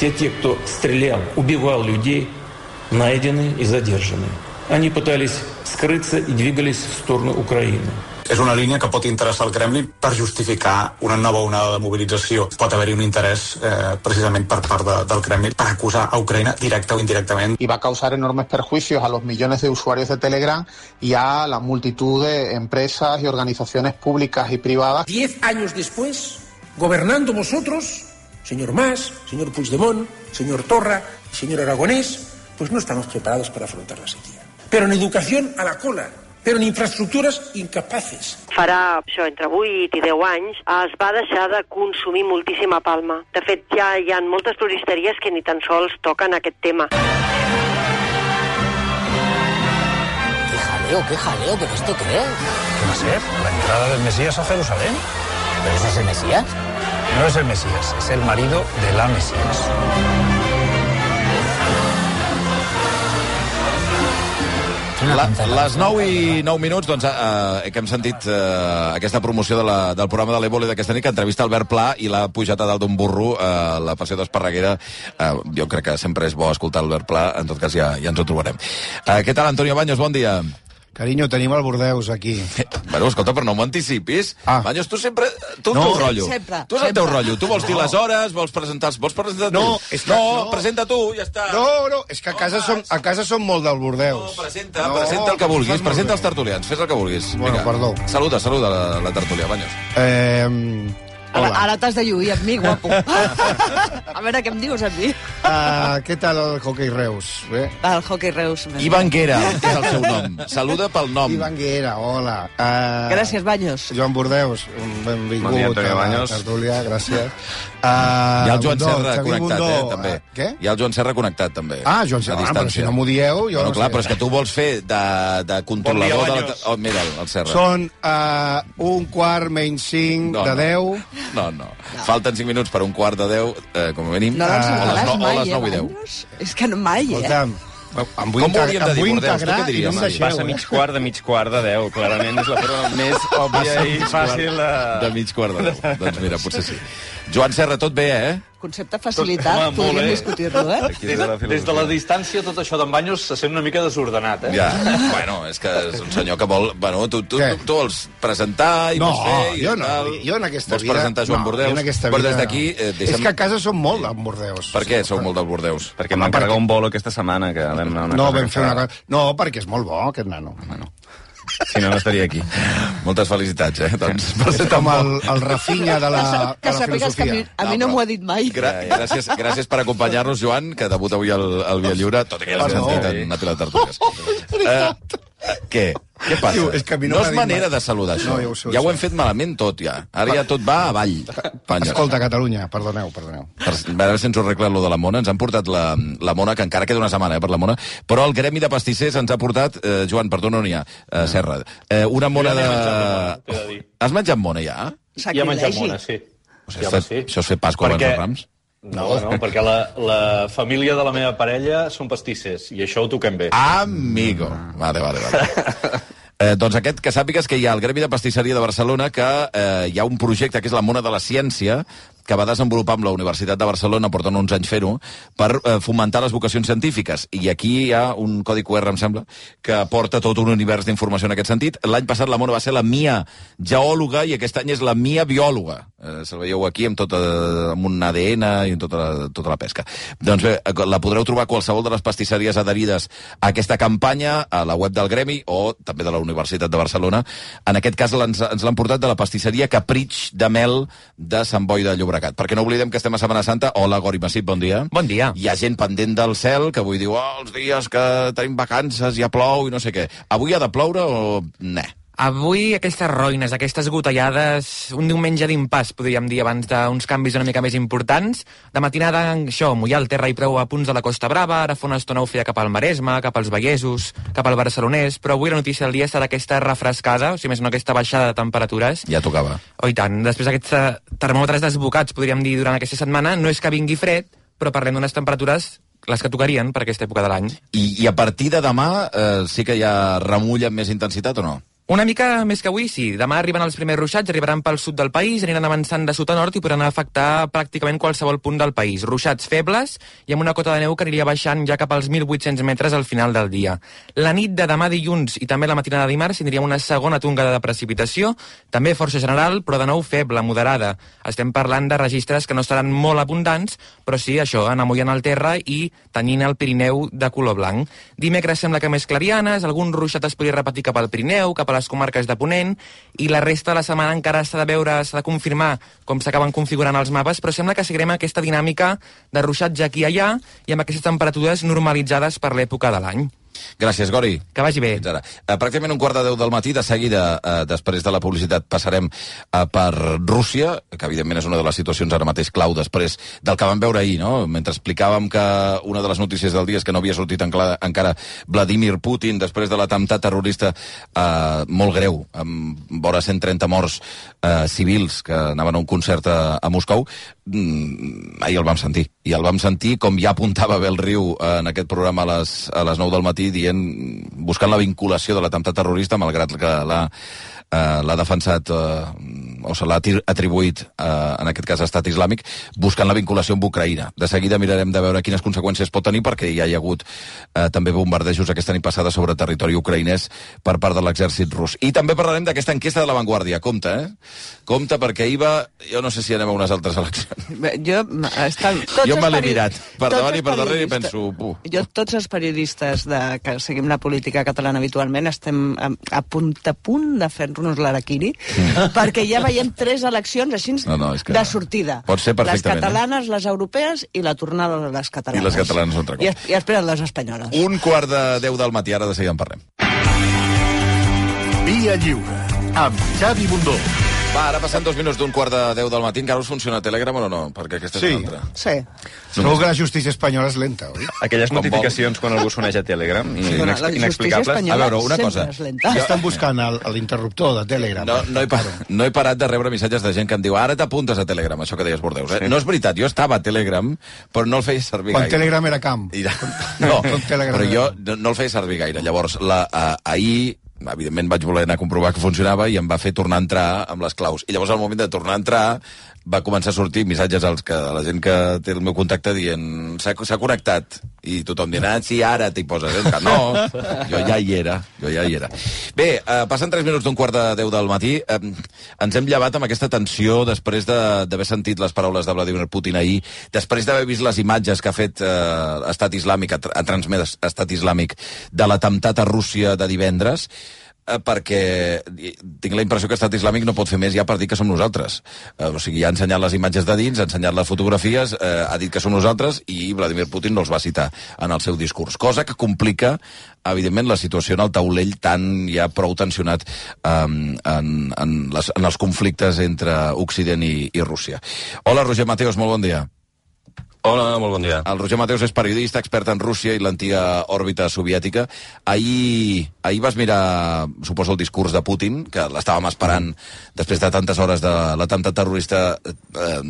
Все те, кто стрелял, убивал людей, найдены и задержаны. Они пытались скрыться и двигались в сторону Украины. És una línia que pot interessar al Kremlin per justificar una nova onada de mobilització. Pot haver-hi un interès precisament per part del Kremlin per acusar a Ucrania directa o indirectament. Y va a causar enormes perjuicios a los millones de usuarios de Telegram y a la multitud de empresas y organizaciones públicas y privadas. 10 años después, gobernando vosotros, señor Mas, señor Puigdemont, señor Torra, señor Aragonés, pues no estamos preparados para afrontar la sequía. Pero en educación a la cola, però en infraestructures incapaces. Farà això, entre 8 i 10 anys, es va deixar de consumir moltíssima palma. De fet, ja hi ha moltes floristeries que ni tan sols toquen aquest tema. Qué jaleo, ¿pero esto qué es? ¿Qué va a ser? ¿La entrada del Mesías a Jerusalén? ¿Pero ese es el Mesías? No es el Mesías, es el marido de la Mesías. Les 9 i 9 minuts, doncs, que hem sentit aquesta promoció del programa de l'Evole d'aquesta nit, que entrevista Albert Pla i l'ha pujat a dalt d'un burro la passió d'Esparreguera. Jo crec que sempre és bo escoltar Albert Pla, en tot cas ja ens ho trobarem. Què tal, Antonio Baños? Bon dia. Carinyo, tenim el Bordeus aquí. Bueno, escolta, però no m'anticipis. Baños, tu sempre... Tu el teu rotllo. Tu és el teu rotllo. Tu vols dir les hores, vols presentar tu. No, presenta tu, ja està. No, és que a casa som molt del Bordeus. No, presenta el que vulguis, presenta els tertulians, fes el que vulguis. Bueno, perdó. Saluda la tertúlia, Baños. Hola. Ara t'has de lluir amb mi, guapo. A veure, què em dius amb mi? Què tal el hoquei Reus? Bé? El hoquei Reus. Ivan Guera, que és el seu nom. Saluda pel nom. Ivan Guera, hola. Gràcies, Baños. Joan Bordeus, benvingut. Bon dia, Antonio Baños. Tertúlia, gràcies. Hi ha el Joan Serra connectat, també. Què? Hi ha el Joan Serra connectat, també. Joan Serra, però si no m'ho dieu... Bueno, clar, però és que tu vols fer de controlador de la... Oh, mira, el Serra. Són 1:45 de 10... No. Falten 5 minuts per 1:45, com a mínim. No l'encertaràs mai, les 9 i 10. És que no mai, Escolta'm, com ho hauríem de dir, Bordeus? Tu què diries? Passa mig quart de 10. Clarament és la forma més òbvia i fàcil de mig quart de 10. Doncs mira, potser sí. Joan Serra, tot bé, eh? Concepte facilitat, podríem discutir-lo, Des de la distància, tot això d'en Baños se sent una mica desordenat, Ja, bueno, és que és un senyor que vol... Bueno, tu vols presentar i vols fer... Jo en aquesta vida... Vols presentar Joan Bordeus? Però des d'aquí... És que a casa som molt del Bordeus. Per què sou molt del Bordeus? Perquè em van carregar un bolo aquesta setmana, que vam anar una cosa... vam fer una cosa... No, perquè és molt bo, aquest nano. Si no, no estaria aquí. Moltes felicitats, Doncs, és com el Rafinha de la filosofia. A mi no m'ho ha dit mai. Gràcies per acompanyar-nos, Joan, que debuta avui al Via Lliure, tot i que ja l'has sentit en Napilar Tertúlies. Què? Què passa? No és manera de saludar, això. Ja ho hem fet malament tot, ja. Ara ja tot va avall. Escolta, Catalunya, perdoneu. A veure si ens ho arregla lo de la Mona. Ens han portat la Mona, que encara queda una setmana per la Mona, però el gremi de pastissers ens ha portat, Joan, perdó, no n'hi ha, Serra, una Mona de... Has menjat Mona, ja? Ja he menjat Mona, sí. Això és fer Pasqua abans dels Rams? No, perquè la família de la meva parella són pastissers, i això ho toquem bé. Amigo. Vale. Doncs que sàpigues que hi ha el Gremi de Pastisseria de Barcelona, que hi ha un projecte que és la Mona de la Ciència, que va desenvolupar amb la Universitat de Barcelona, porten uns anys fer-ho, per fomentar les vocacions científiques. I aquí hi ha un codi QR, em sembla, que aporta tot un univers d'informació en aquest sentit. L'any passat la Mona va ser la Mia geòloga i aquest any és la Mia biòloga. Se'l veieu aquí amb un ADN i amb tota la pesca. Doncs bé, la podreu trobar a qualsevol de les pastisseries adherides a aquesta campanya, a la web del Gremi o també de la Universitat de Barcelona. En aquest cas ens l'han portat de la pastisseria Capritx de Mel de Sant Boi de Llobregat. Perquè no oblidem que estem a Setmana Santa. Hola, Gori Massip, bon dia. Bon dia. Hi ha gent pendent del cel que avui diu els dies que tenim vacances ja plou i no sé què. Avui ha de ploure o ne? Avui aquestes roïnes, aquestes gotellades, un diumenge d'impàs, podríem dir, abans d'uns canvis una mica més importants. De matinada, això, mullar el terra i prou a punts de la Costa Brava, ara fa una estona ho feia cap al Maresme, cap als Vallesos, cap al Barcelonès, però avui la notícia del dia serà aquesta refrescada, o sigui, més no aquesta baixada de temperatures. Ja tocava. Oh, i tant. Després d'aquests termòmetres desbocats, podríem dir, durant aquesta setmana, no és que vingui fred, però parlem d'unes temperatures les que tocarien per aquesta època de l'any. I a partir de demà sí que hi ha remull amb més intensitat o no? Una mica més que avui, sí. Demà arriben els primers ruixats, arribaran pel sud del país, aniran avançant de sud a nord i podran afectar pràcticament qualsevol punt del país. Ruixats febles i amb una cota de neu que aniria baixant ja cap als 1.800 metres al final del dia. La nit de demà dilluns i també la matinada de dimarts tindríem una segona tongada de precipitació, també força general, però de nou feble, moderada. Estem parlant de registres que no seran molt abundants, però sí, això, amollant el terra i tenyint el Pirineu de color blanc. Dimecres sembla que més clarianes, algun ruixat es podria repetir cap al Pirineu, cap a les comarques de Ponent, i la resta de la setmana encara s'ha de confirmar com s'acaben configurant els mapes, però sembla que seguirem aquesta dinàmica de ruixats aquí i allà i amb aquestes temperatures normalitzades per l'època de l'any. Gràcies, Gori. Que vagi bé. Fins ara. Pràcticament 9:45 del matí, de seguida, després de la publicitat, passarem per Rússia, que evidentment és una de les situacions ara mateix clau després del que vam veure ahir, no? Mentre explicàvem que una de les notícies del dia és que no havia sortit encara Vladimir Putin després de l'atemptat terrorista molt greu, amb vora 130 morts civils que anaven a un concert a Moscou. Ahir el vam sentir. I el vam sentir, com ja apuntava Abel Riu en aquest programa a les 9 del matí, buscant la vinculació de l'atemptat terrorista, malgrat que l'ha defensat o se l'ha atribuït en aquest cas a Estat Islàmic, buscant la vinculació amb Ucraïna. De seguida mirarem de veure quines conseqüències pot tenir, perquè ja hi ha hagut també bombardejos aquesta nit passada sobre territori ucraïnès per part de l'exèrcit rus. I també parlarem d'aquesta enquesta de La Vanguardia. Compte, Compte, perquè ahir va... Jo no sé si anem a unes altres eleccions. Jo me l'he mirat per davant i per darrere i penso... Jo, tots els periodistes que seguim la política catalana habitualment estem a punt de fer-nos l'araquiri, perquè ja veiem 3 eleccions així de sortida. Pot ser perfectament. Les catalanes, les europees i la tornada de les catalanes. I les catalanes un altre cop. I esperen les espanyoles. 9:45 del matí, ara de seguida en parlem. Via Lliure, amb Xavi Bundó. Va, ara passant 2 minuts d'9:45 del matí, encara us funciona Telegram o no? Perquè aquesta és l'altra. Sí. Segur que la justícia espanyola és lenta, oi? Aquelles notificacions quan algú s'uneix a Telegram inexplicables. A veure, una cosa. Estan buscant l'interruptor de Telegram. No he parat de rebre missatges de gent que em diu ara t'apuntes a Telegram, això que deies, Bordeus. No és veritat, jo estava a Telegram, però no el feia servir gaire. Quan Telegram era camp. No, però jo no el feia servir gaire. Llavors, ahir... evidentment vaig voler anar a comprovar que funcionava i em va fer tornar a entrar amb les claus. I llavors al moment de tornar a entrar va començar a sortir missatges a la gent que té el meu contacte dient s'ha connectat. I tothom dient, sí, ara t'hi poses. No, jo ja hi era. Bé, passen 3 minuts d'9:45 del matí. Ens hem llevat amb aquesta tensió després d'haver sentit les paraules de Vladimir Putin ahir, després d'haver vist les imatges que ha fet Estat Islàmic, ha transmès Estat Islàmic de l'atemptat a Rússia de divendres, perquè tinc la impressió que Estat Islàmic no pot fer més ja per dir que som nosaltres. O sigui, ha ensenyat les imatges de dins, ha ensenyat les fotografies, ha dit que som nosaltres i Vladimir Putin no els va citar en el seu discurs. Cosa que complica, evidentment, la situació en el taulell tan ja prou tensionat en els conflictes entre Occident i Rússia. Hola, Roger Mateos, molt bon dia. Hola, molt bon dia. El Roger Mateos és periodista, expert en Rússia i l'antiga òrbita soviètica. Ahir vas mirar, suposo, el discurs de Putin, que l'estàvem esperant després de tantes hores de l'atemptat terrorista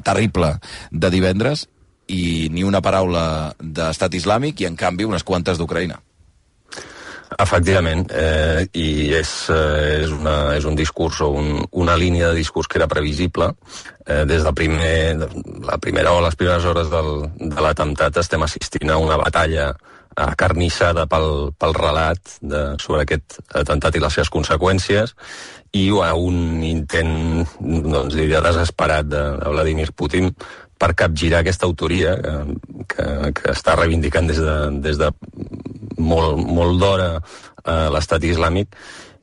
terrible de divendres, i ni una paraula d'Estat Islàmic i, en canvi, unes quantes d'Ucraïna. Efectivament, i és un discurs o una línia de discurs que era previsible. Des de la primera o les primeres hores de l'atemptat estem assistint a una batalla acarnissada pel relat sobre aquest atemptat i les seves conseqüències, i a un intent, diria, desesperat de Vladimir Putin per capgirar aquesta autoria que està reivindicant des de molt d'hora l'Estat Islàmic,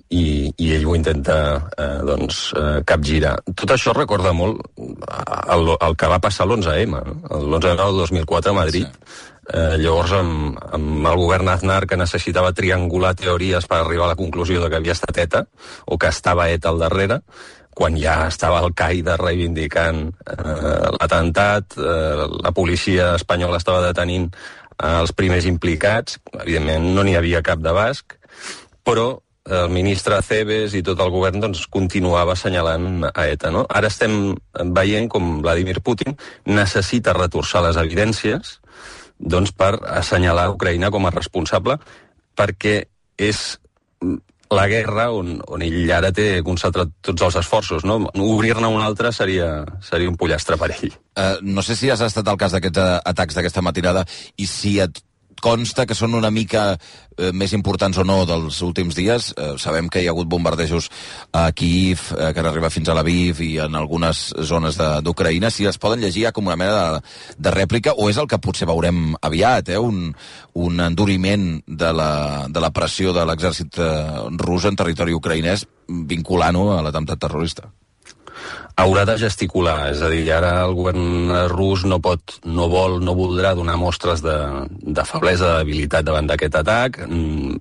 i ell ho intenta capgirar. Tot això recorda molt el que va passar l'11M, l'11M del 2004 a Madrid. Llavors, amb el govern Aznar, que necessitava triangular teories per arribar a la conclusió de que havia estat ETA, o que estava ETA al darrere, quan ja estava Al-Qaeda reivindicant l'atemptat, la policia espanyola estava detenint els primers implicats, evidentment no n'hi havia cap de basc, però el ministre Acebes i tot el govern continuava assenyalant a ETA. No? Ara estem veient com Vladimir Putin necessita retorçar les evidències per assenyalar Ucraïna com a responsable, perquè és la guerra on ell ara té concentrat tots els esforços, no? Obrir-ne un altre seria un pollastre per ell. No sé si has estat al cas d'aquests atacs d'aquesta matinada i si et consta que són una mica més importants o no dels últims dies. Sabem que hi ha hagut bombardejos a Kyiv, que han arribat fins a Lviv i en algunes zones d'Ucraïna. Si es poden llegir com una mena de rèplica, o és el que potser veurem aviat, un enduriment de la pressió de l'exèrcit rus en territori ucraïnès vinculant-ho a l'atemptat terrorista. Haurà de gesticular, és a dir, ara el govern rus no voldrà donar mostres de feblesa, de debilitat davant d'aquest atac,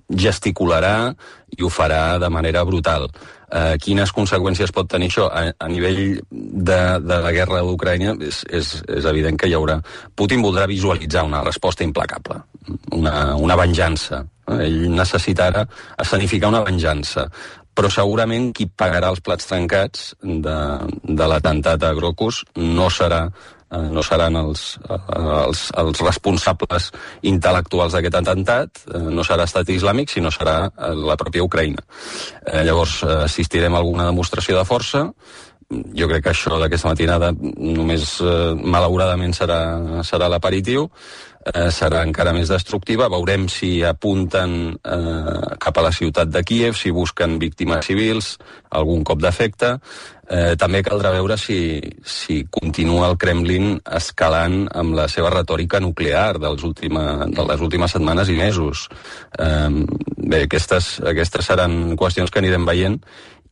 gesticularà i ho farà de manera brutal. Quines conseqüències pot tenir això? A nivell de la guerra d'Ucraïna és evident que hi haurà... Putin voldrà visualitzar una resposta implacable, una venjança. Ell necessitarà escenificar una venjança, però segurament qui pagarà els plats trencats de l'atemptat a Grocus no seran els responsables intel·lectuals d'aquest atemptat, no serà estat islàmic, sinó serà la pròpia Ucraïna. Llavors assistirem a alguna demostració de força. Jo crec que això d'aquesta matinada només malauradament serà l'aperitiu. Serà encara més destructiva. Veurem si apunten cap a la ciutat de Kíev, si busquen víctimes civils, algun cop d'efecte. També caldrà veure si continua el Kremlin escalant amb la seva retòrica nuclear de les últimes setmanes i mesos. Bé, aquestes seran qüestions que anirem veient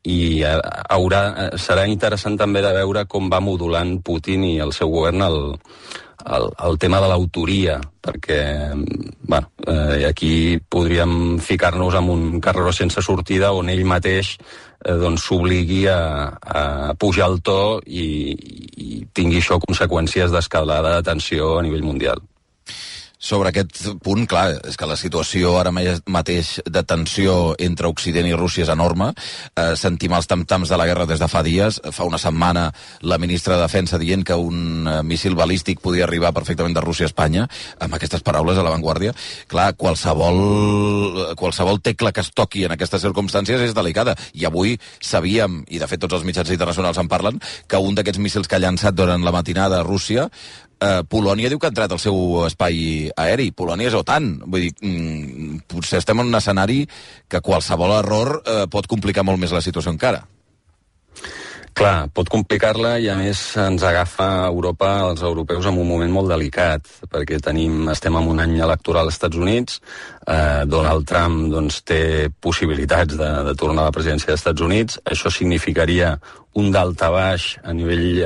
i serà interessant també de veure com va modulant Putin i el seu govern el tema de l'autoria, perquè aquí podríem ficar-nos en un carreró sense sortida on ell mateix s'obligui a pujar el to i tingui això conseqüències d'escalada de tensió a nivell mundial. Sobre aquest punt, clar, és que la situació ara mateix de tensió entre Occident i Rússia és enorme. Sentim els tam-tams de la guerra des de fa dies. Fa una setmana la ministra de Defensa dient que un míssil balístic podia arribar perfectament de Rússia a Espanya, amb aquestes paraules a l'avantguàrdia. Clar, qualsevol tecla que es toqui en aquestes circumstàncies és delicada. I avui sabíem, i de fet tots els mitjans internacionals en parlen, que un d'aquests míssils que ha llançat durant la matinada a Rússia, Polònia diu que ha entrat al seu espai aeri. Polònia és OTAN. Vull dir, potser estem en un escenari que qualsevol error pot complicar molt més la situació encara. Clar, pot complicar-la i a més ens agafa Europa, els europeus, en un moment molt delicat, perquè estem en un any electoral als Estats Units, Donald Trump té possibilitats de tornar a la presidència dels Estats Units, això significaria un daltabaix a nivell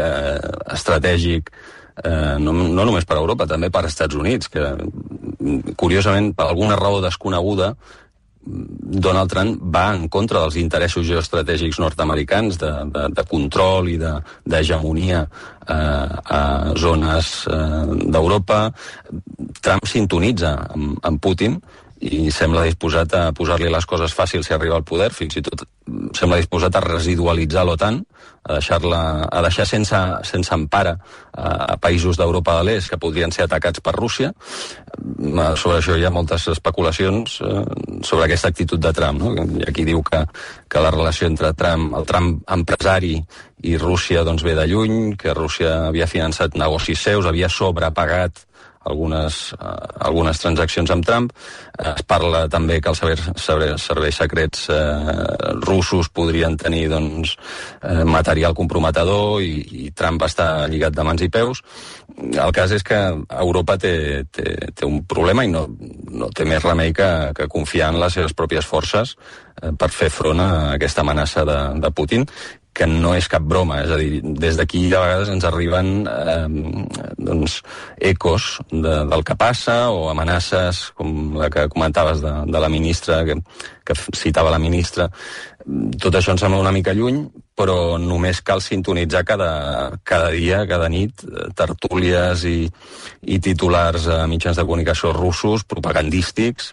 estratègic, no només per a Europa, també per als Estats Units, que curiosament, per alguna raó desconeguda, Donald Trump va en contra dels interessos geoestratègics nord-americans de control i d'hegemonia a zones d'Europa. Trump sintonitza amb Putin i sembla disposat a posar-li les coses fàcils si arriba al poder, fins i tot sembla disposat a residualitzar l'OTAN, a deixar sense empara a països d'Europa de l'Est que podrien ser atacats per Rússia. Sobre això hi ha moltes especulacions sobre aquesta actitud de Trump, no? Aquí diu que la relació entre el Trump empresari i Rússia ve de lluny, que Rússia havia finançat negocis seus, havia sobrepagat algunes transaccions amb Trump. Es parla també que els serveis secrets russos podrien tenir material comprometedor i Trump està lligat de mans i peus. El cas és que Europa té un problema i no té més remei que confiar en les seves pròpies forces per fer front a aquesta amenaça de Putin, que no és cap broma, és a dir, des d'aquí a vegades ens arriben ecos del que passa o amenaces com la que comentaves de la ministra, que citava la ministra. Tot això ens sembla una mica lluny, però només cal sintonitzar cada dia, cada nit, tertúlies i titulars a mitjans de comunicació russos, propagandístics,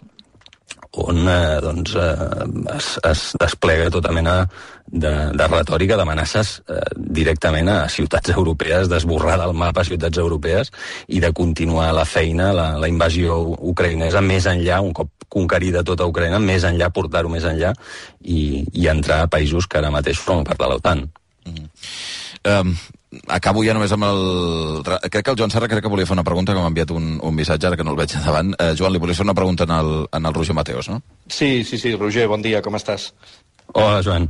on es desplega tota mena de retòrica, d'amenaces directament a ciutats europees, d'esborrar del mapa ciutats europees i de continuar la feina, la invasió ucraïnesa més enllà, un cop conquerida tota Ucraïna, més enllà, portar-ho més enllà i entrar a països que ara mateix formen part de l'OTAN. Acabo ja només amb crec que el Joan Serra volia fer una pregunta, que m'ha enviat un missatge, ara que no el veig davant. Joan, li volia fer una pregunta en el Roger Mateos, no? Sí, Roger, bon dia, com estàs? Hola, Joan.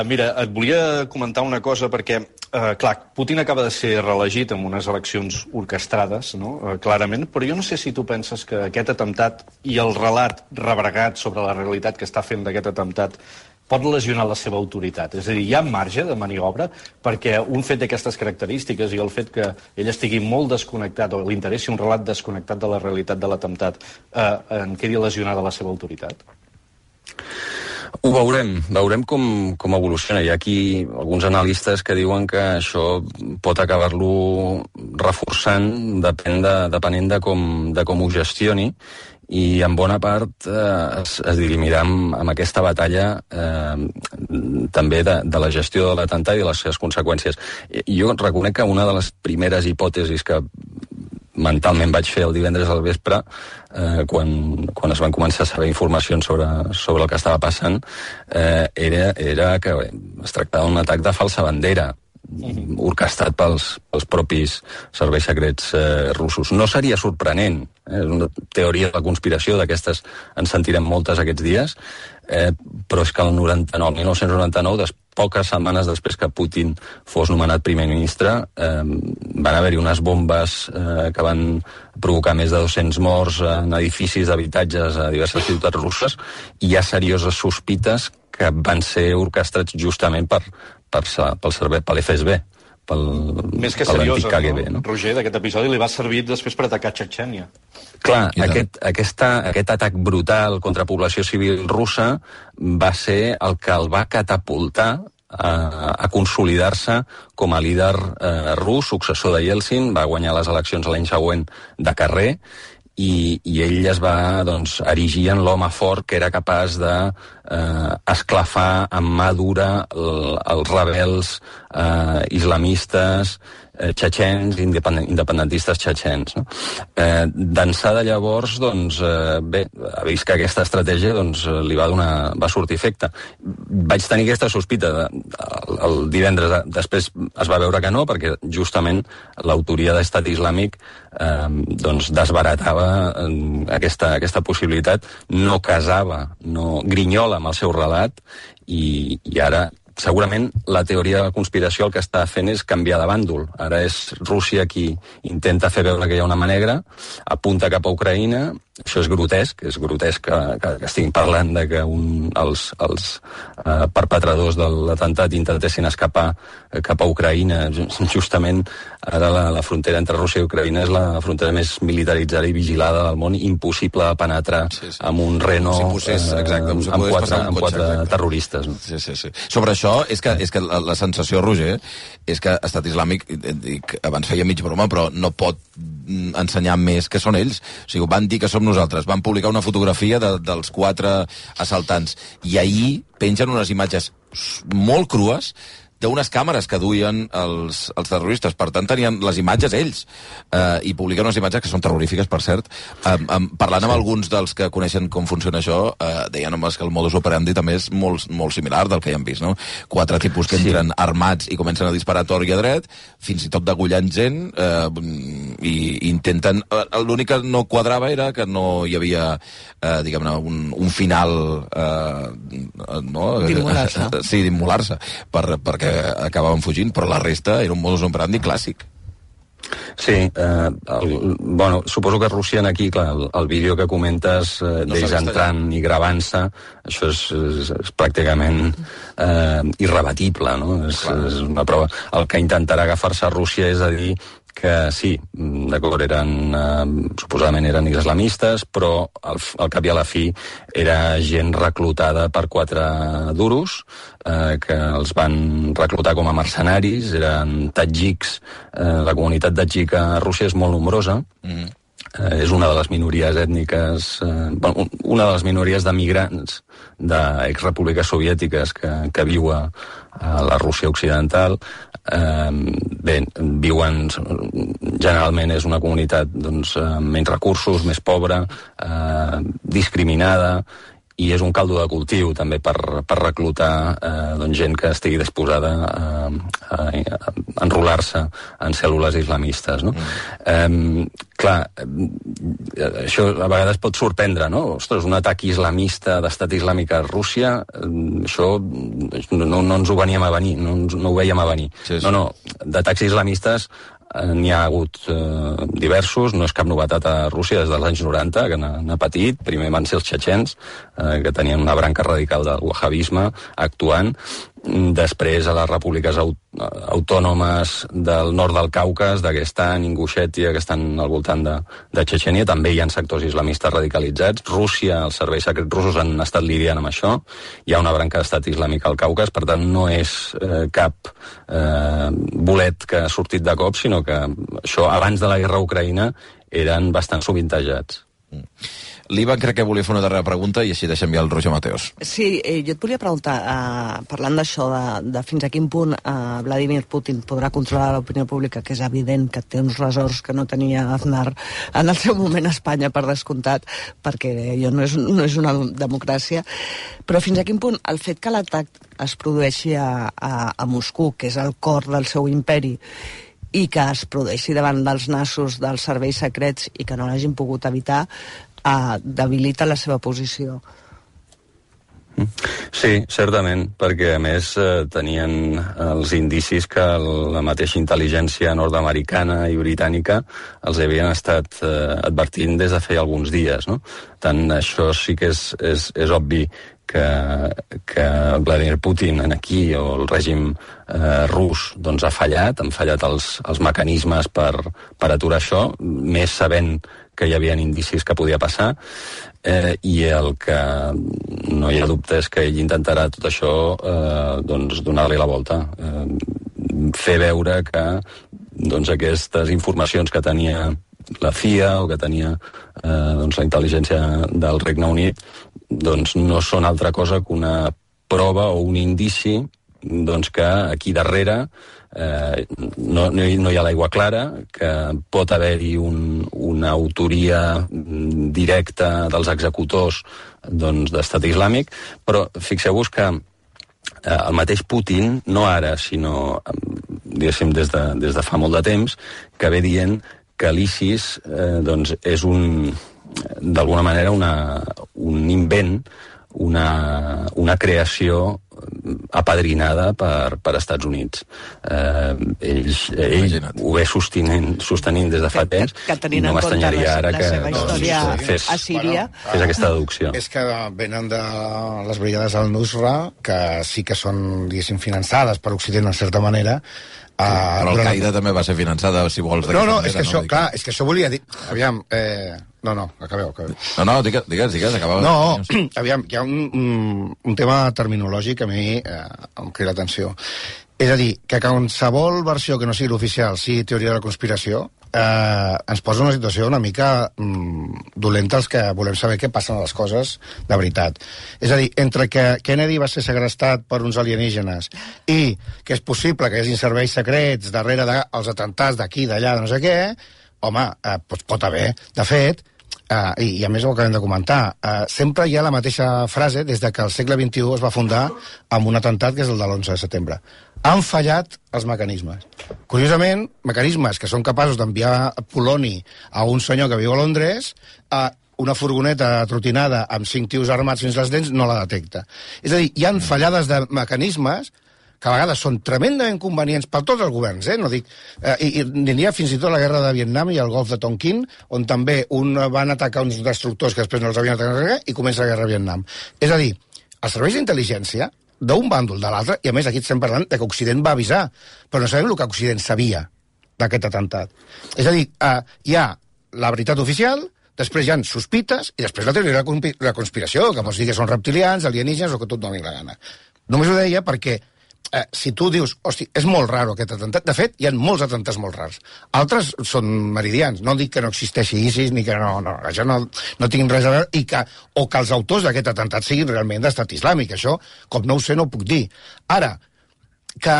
Mira, et volia comentar una cosa perquè, clar, Putin acaba de ser reelegit en unes eleccions orquestrades, no? Clarament, però jo no sé si tu penses que aquest atemptat i el relat rebregat sobre la realitat que està fent d'aquest atemptat pot lesionar la seva autoritat. És a dir, hi ha marge de maniobra perquè un fet d'aquestes característiques i el fet que ell estigui molt desconnectat o li interessi un relat desconnectat de la realitat de l'atemptat en quedi lesionada la seva autoritat? Ho veurem com evoluciona. Hi ha aquí alguns analistes que diuen que això pot acabar-lo reforçant depenent de com ho gestioni, i en bona part es dirimirà amb aquesta batalla també de la gestió de l'atemptat i de les seves conseqüències. Jo reconec que una de les primeres hipòtesis que mentalment vaig fer el divendres al vespre, quan es van començar a saber informacions sobre el que estava passant, era que es tractava d'un atac de falsa bandera, orquestat pels propis serveis secrets russos. No seria sorprenent, és una teoria de la conspiració, d'aquestes en sentirem moltes aquests dies, però és que el 1999, poques setmanes després que Putin fos nomenat primer ministre, van haver-hi unes bombes que van provocar més de 200 morts en edificis d'habitatges a diverses ciutats russes, i hi ha serioses sospites que van ser orquestrats justament per l'FSB, més que seriosa, KGB, no? Roger, d'aquest episodi li va servir després per atacar Txetxènia. Clar, aquest atac brutal contra població civil russa va ser el que el va catapultar a consolidar-se com a líder rus, successor de Yeltsin. Va guanyar les eleccions l'any següent de carrer, i ell es va erigir en l'home fort que era capaç d'esclafar amb mà dura els rebels islamistes txetxens, independentistes txetxens. D'ençà de llavors, ha vist que aquesta estratègia li va sortir efecte. Vaig tenir aquesta sospita el divendres, després es va veure que no, perquè justament l'autoria d'Estat Islàmic desbaratava aquesta possibilitat, no casava, no grinyola amb el seu relat, i ara segurament la teoria de la conspiració el que està fent és canviar de bàndol. Ara és Rússia qui intenta fer veure que hi ha una mà negra, apunta cap a Ucraïna. Això és grotesc que estiguin parlant de que els perpetradors de l'atemptat intentessin escapar cap a Ucraïna. Justament ara la frontera entre Rússia i Ucraïna és la frontera més militaritzada i vigilada del món, impossible de penetrar amb un Renault amb quatre terroristes. Sobre això, és que la sensació, Roger, és que Estat Islàmic, abans feia mig broma, però no pot ensenyar més que són ells. O sigui, van dir que som nosaltres, van publicar una fotografia dels 4 assaltants, i ahir pengen unes imatges molt crues d'unes càmeres que duien els terroristes. Per tant, tenien les imatges ells, i publiquen unes imatges que són terrorífiques, per cert. Parlant amb alguns dels que coneixen com funciona això, deien que el modus operandi també és molt, molt similar del que ja hem vist, no? 4 tipus que entren armats i comencen a disparar a tort i a dret, fins i tot degullant gent, i intenten... L'únic que no quadrava era que no hi havia, diguem-ne, un final... d'immolar-se. Sí, d'immolar-se, perquè acabaven fugint, però la resta era un modus operandi clàssic. Sí, suposo que Rússia aquí, clar, el vídeo que comentes d'ells entrant i gravant-se, això és pràcticament irrebatible, no? És una prova. El que intentarà agafar-se a Rússia és a dir que sí, d'acord, suposadament eren islamistes, però al cap i a la fi era gent reclutada per 4 duros, que els van reclutar com a mercenaris, eren tadjiks. La comunitat tadjika a Rússia és molt nombrosa, és una de les minories ètniques, una de les minories de migrants d'exrepúbliques soviètiques que viu a la Rússia occidental. Bé, viuen, generalment és una comunitat doncs, amb menys recursos, més pobra, discriminada, i és un caldo de cultiu també per reclutar doncs, gent que estigui disposada a enrolar-se en cèl·lules islamistes, no? Clar, això a vegades pot sorprendre, no? Ostres, un atac islamista d'estat islàmic a Rússia, això no ens ho veníem a venir, no ho veiem a venir. Sí. No, d'atacs islamistes n'hi ha hagut diversos, no és cap novetat a Rússia des dels anys 90, que n'ha patit. Primer van ser els txetxens, que tenien una branca radical del wahhabisme actuant. Després a les repúbliques autònomes del nord del Caucas, Daguestan, Ingushetia, que estan al voltant de Txetxènia, també hi ha sectors islamistes radicalitzats. Rússia, els serveis secrets russos han estat lidiant amb això. Hi ha una branca d'estat islàmic al Caucas, per tant no és cap bolet que ha sortit de cop, sinó que això abans de la guerra a Ucraïna eren bastant sovintejats. L'Ivan crec que volia fer una darrera pregunta i així deixem ja el Roger Mateos. Sí, jo et volia preguntar, parlant d'això, de fins a quin punt Vladimir Putin podrà controlar l'opinió pública, que és evident que té uns ressorts que no tenia Aznar en el seu moment a Espanya, per descomptat, perquè allò no és una democràcia, però fins a quin punt el fet que l'atac es produeixi a Moscou, que és el cor del seu imperi, i que es produeixi davant dels nassos dels serveis secrets i que no l'hagin pogut evitar, debilita la seva posició. Sí, certament, perquè a més tenien els indicis que la mateixa intel·ligència nord-americana i britànica els havien estat advertint des de feia alguns dies, no? Tant això sí que és obvi que Vladimir Putin aquí, o el règim rus, doncs ha fallat, han fallat els mecanismes per aturar això, més sabent que hi havia indicis que podia passar, i el que no hi ha dubte és que ell intentarà tot això doncs donar-li la volta, fer veure que doncs aquestes informacions que tenia la CIA o que tenia doncs la intel·ligència del Regne Unit doncs no són altra cosa que una prova o un indici doncs que aquí darrere no hi ha l'aigua clara, que pot haver-hi una autoria directa dels executors doncs, d'estat islàmic, però fixeu-vos que el mateix Putin, no ara, sinó diguéssim des de fa molt de temps, que ve dient que l'ISIS doncs, és d'alguna manera un invent, una creació apadrinada per Estats Units. Ell ho ve sostenint des de fa temps i no m'estranyaria ara que fes aquesta deducció. És que venen de les brigades al-Nusra, que sí que són, diguéssim, finançades per Occident en certa manera. Però Al-Qaeda també va ser finançada, si vols. No, és que això, clar, és que això volia dir... Aviam, acabeu. No, digues, acabeu. No, aviam, hi ha un tema terminològic que a mi em crida l'atenció. És a dir, que qualsevol versió que no sigui l'oficial, sigui teoria de la conspiració, ens posa una situació una mica dolenta els que volem saber què passen a les coses de veritat. És a dir, entre que Kennedy va ser segrestat per uns alienígenes i que és possible que hi hagi serveis secrets darrere dels atentats d'aquí, d'allà, de no sé què, home, pot haver. De fet, i a més ho acabem de comentar, sempre hi ha la mateixa frase des de que el segle XXI es va fundar amb un atemptat que és el de l'11 de setembre. Han fallat els mecanismes. Curiosament, mecanismes que són capaços d'enviar poloni a un senyor que viu a Londres, una furgoneta trotinada amb 5 tios armats fins als dents no la detecta. És a dir, hi han fallades de mecanismes que a vegades són tremendament convenients per tots els governs, no dic... I n'hi ha fins i tot la guerra de Vietnam i el golf de Tonkin, on també van atacar uns destructors que després no els havien atacat i comença la guerra de Vietnam. És a dir, els serveis d'intel·ligència d'un bàndol de l'altre, i a més aquí estem parlant de que Occident va avisar, però no sabem el que Occident sabia d'aquest atemptat. És a dir, hi ha la veritat oficial, després hi ha sospites, i després la teoria de la conspiració, que pots dir que són reptilians, alienígenes, o que tot doni la gana. Només ho deia perquè si tu dius, hosti, és molt raro aquest atemptat, de fet, hi ha molts atemptats molt rars. Altres són meridians, no dic que no existeixi ISIS, ni que això no tinguin res a veure, o que els autors d'aquest atemptat siguin realment d'estat islàmic. Això, com no ho sé, no ho puc dir. Ara, que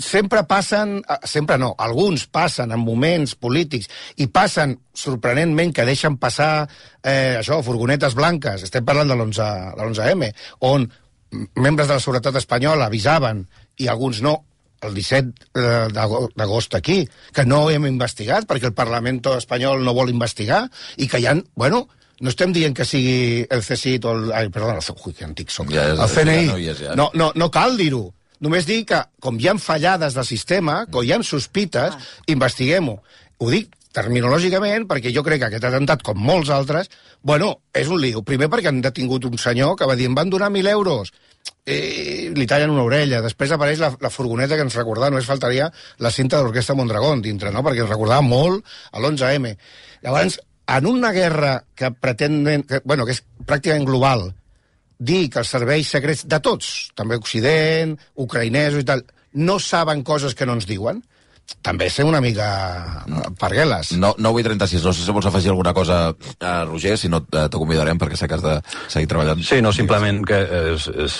sempre passen, sempre no, alguns passen en moments polítics i passen sorprenentment que deixen passar furgonetes blanques, estem parlant de l'11M, on membres de la seguretat espanyola avisaven i alguns no, el 17 d'agost aquí, que no hem investigat perquè el Parlament espanyol no vol investigar i que hi ha, bueno, no estem dient que sigui el CSIC o el CNI, no cal dir-ho. Només dir que, com hi ha fallades del sistema, com hi ha sospites, investiguem-ho. Ho dic terminològicament perquè jo crec que aquest atemptat, com molts altres, bueno, és un lío. Primer perquè han detingut un senyor que va dir, em van donar 1.000 euros, li tallen una orella. Després apareix la furgoneta que ens recordava, només faltaria la cinta de l'Orquestra Mondragón dintre, no? Perquè ens recordava molt a l'11M. Llavors, en una guerra que pretenen, que és pràcticament global, dir que els serveis secrets de tots, també Occident, ucraïnesos i tal, no saben coses que no ens diuen, també ser una mica pargueles. 9:36, no sé si vols afegir alguna cosa, Roger, si no te convidarem perquè sé que has de seguir treballant. Sí, no, simplement que és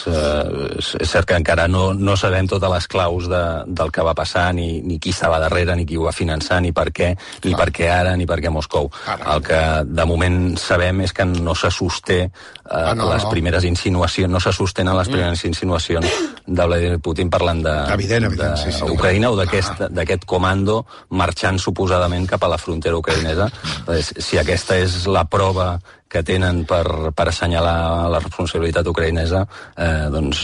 cert que encara no sabem totes les claus del que va passar, ni qui estava darrere, ni qui ho va finançar, ni per què, ni per què ara, ni per què Moscou. El que de moment sabem és que no se sosté les primeres insinuacions, no se sostenen les primeres insinuacions de Vladimir Putin parlant d'Ucraïna o d'aquest comando marxant suposadament cap a la frontera ucraïnesa. Si aquesta és la prova que tenen per assenyalar la responsabilitat ucraïnesa, doncs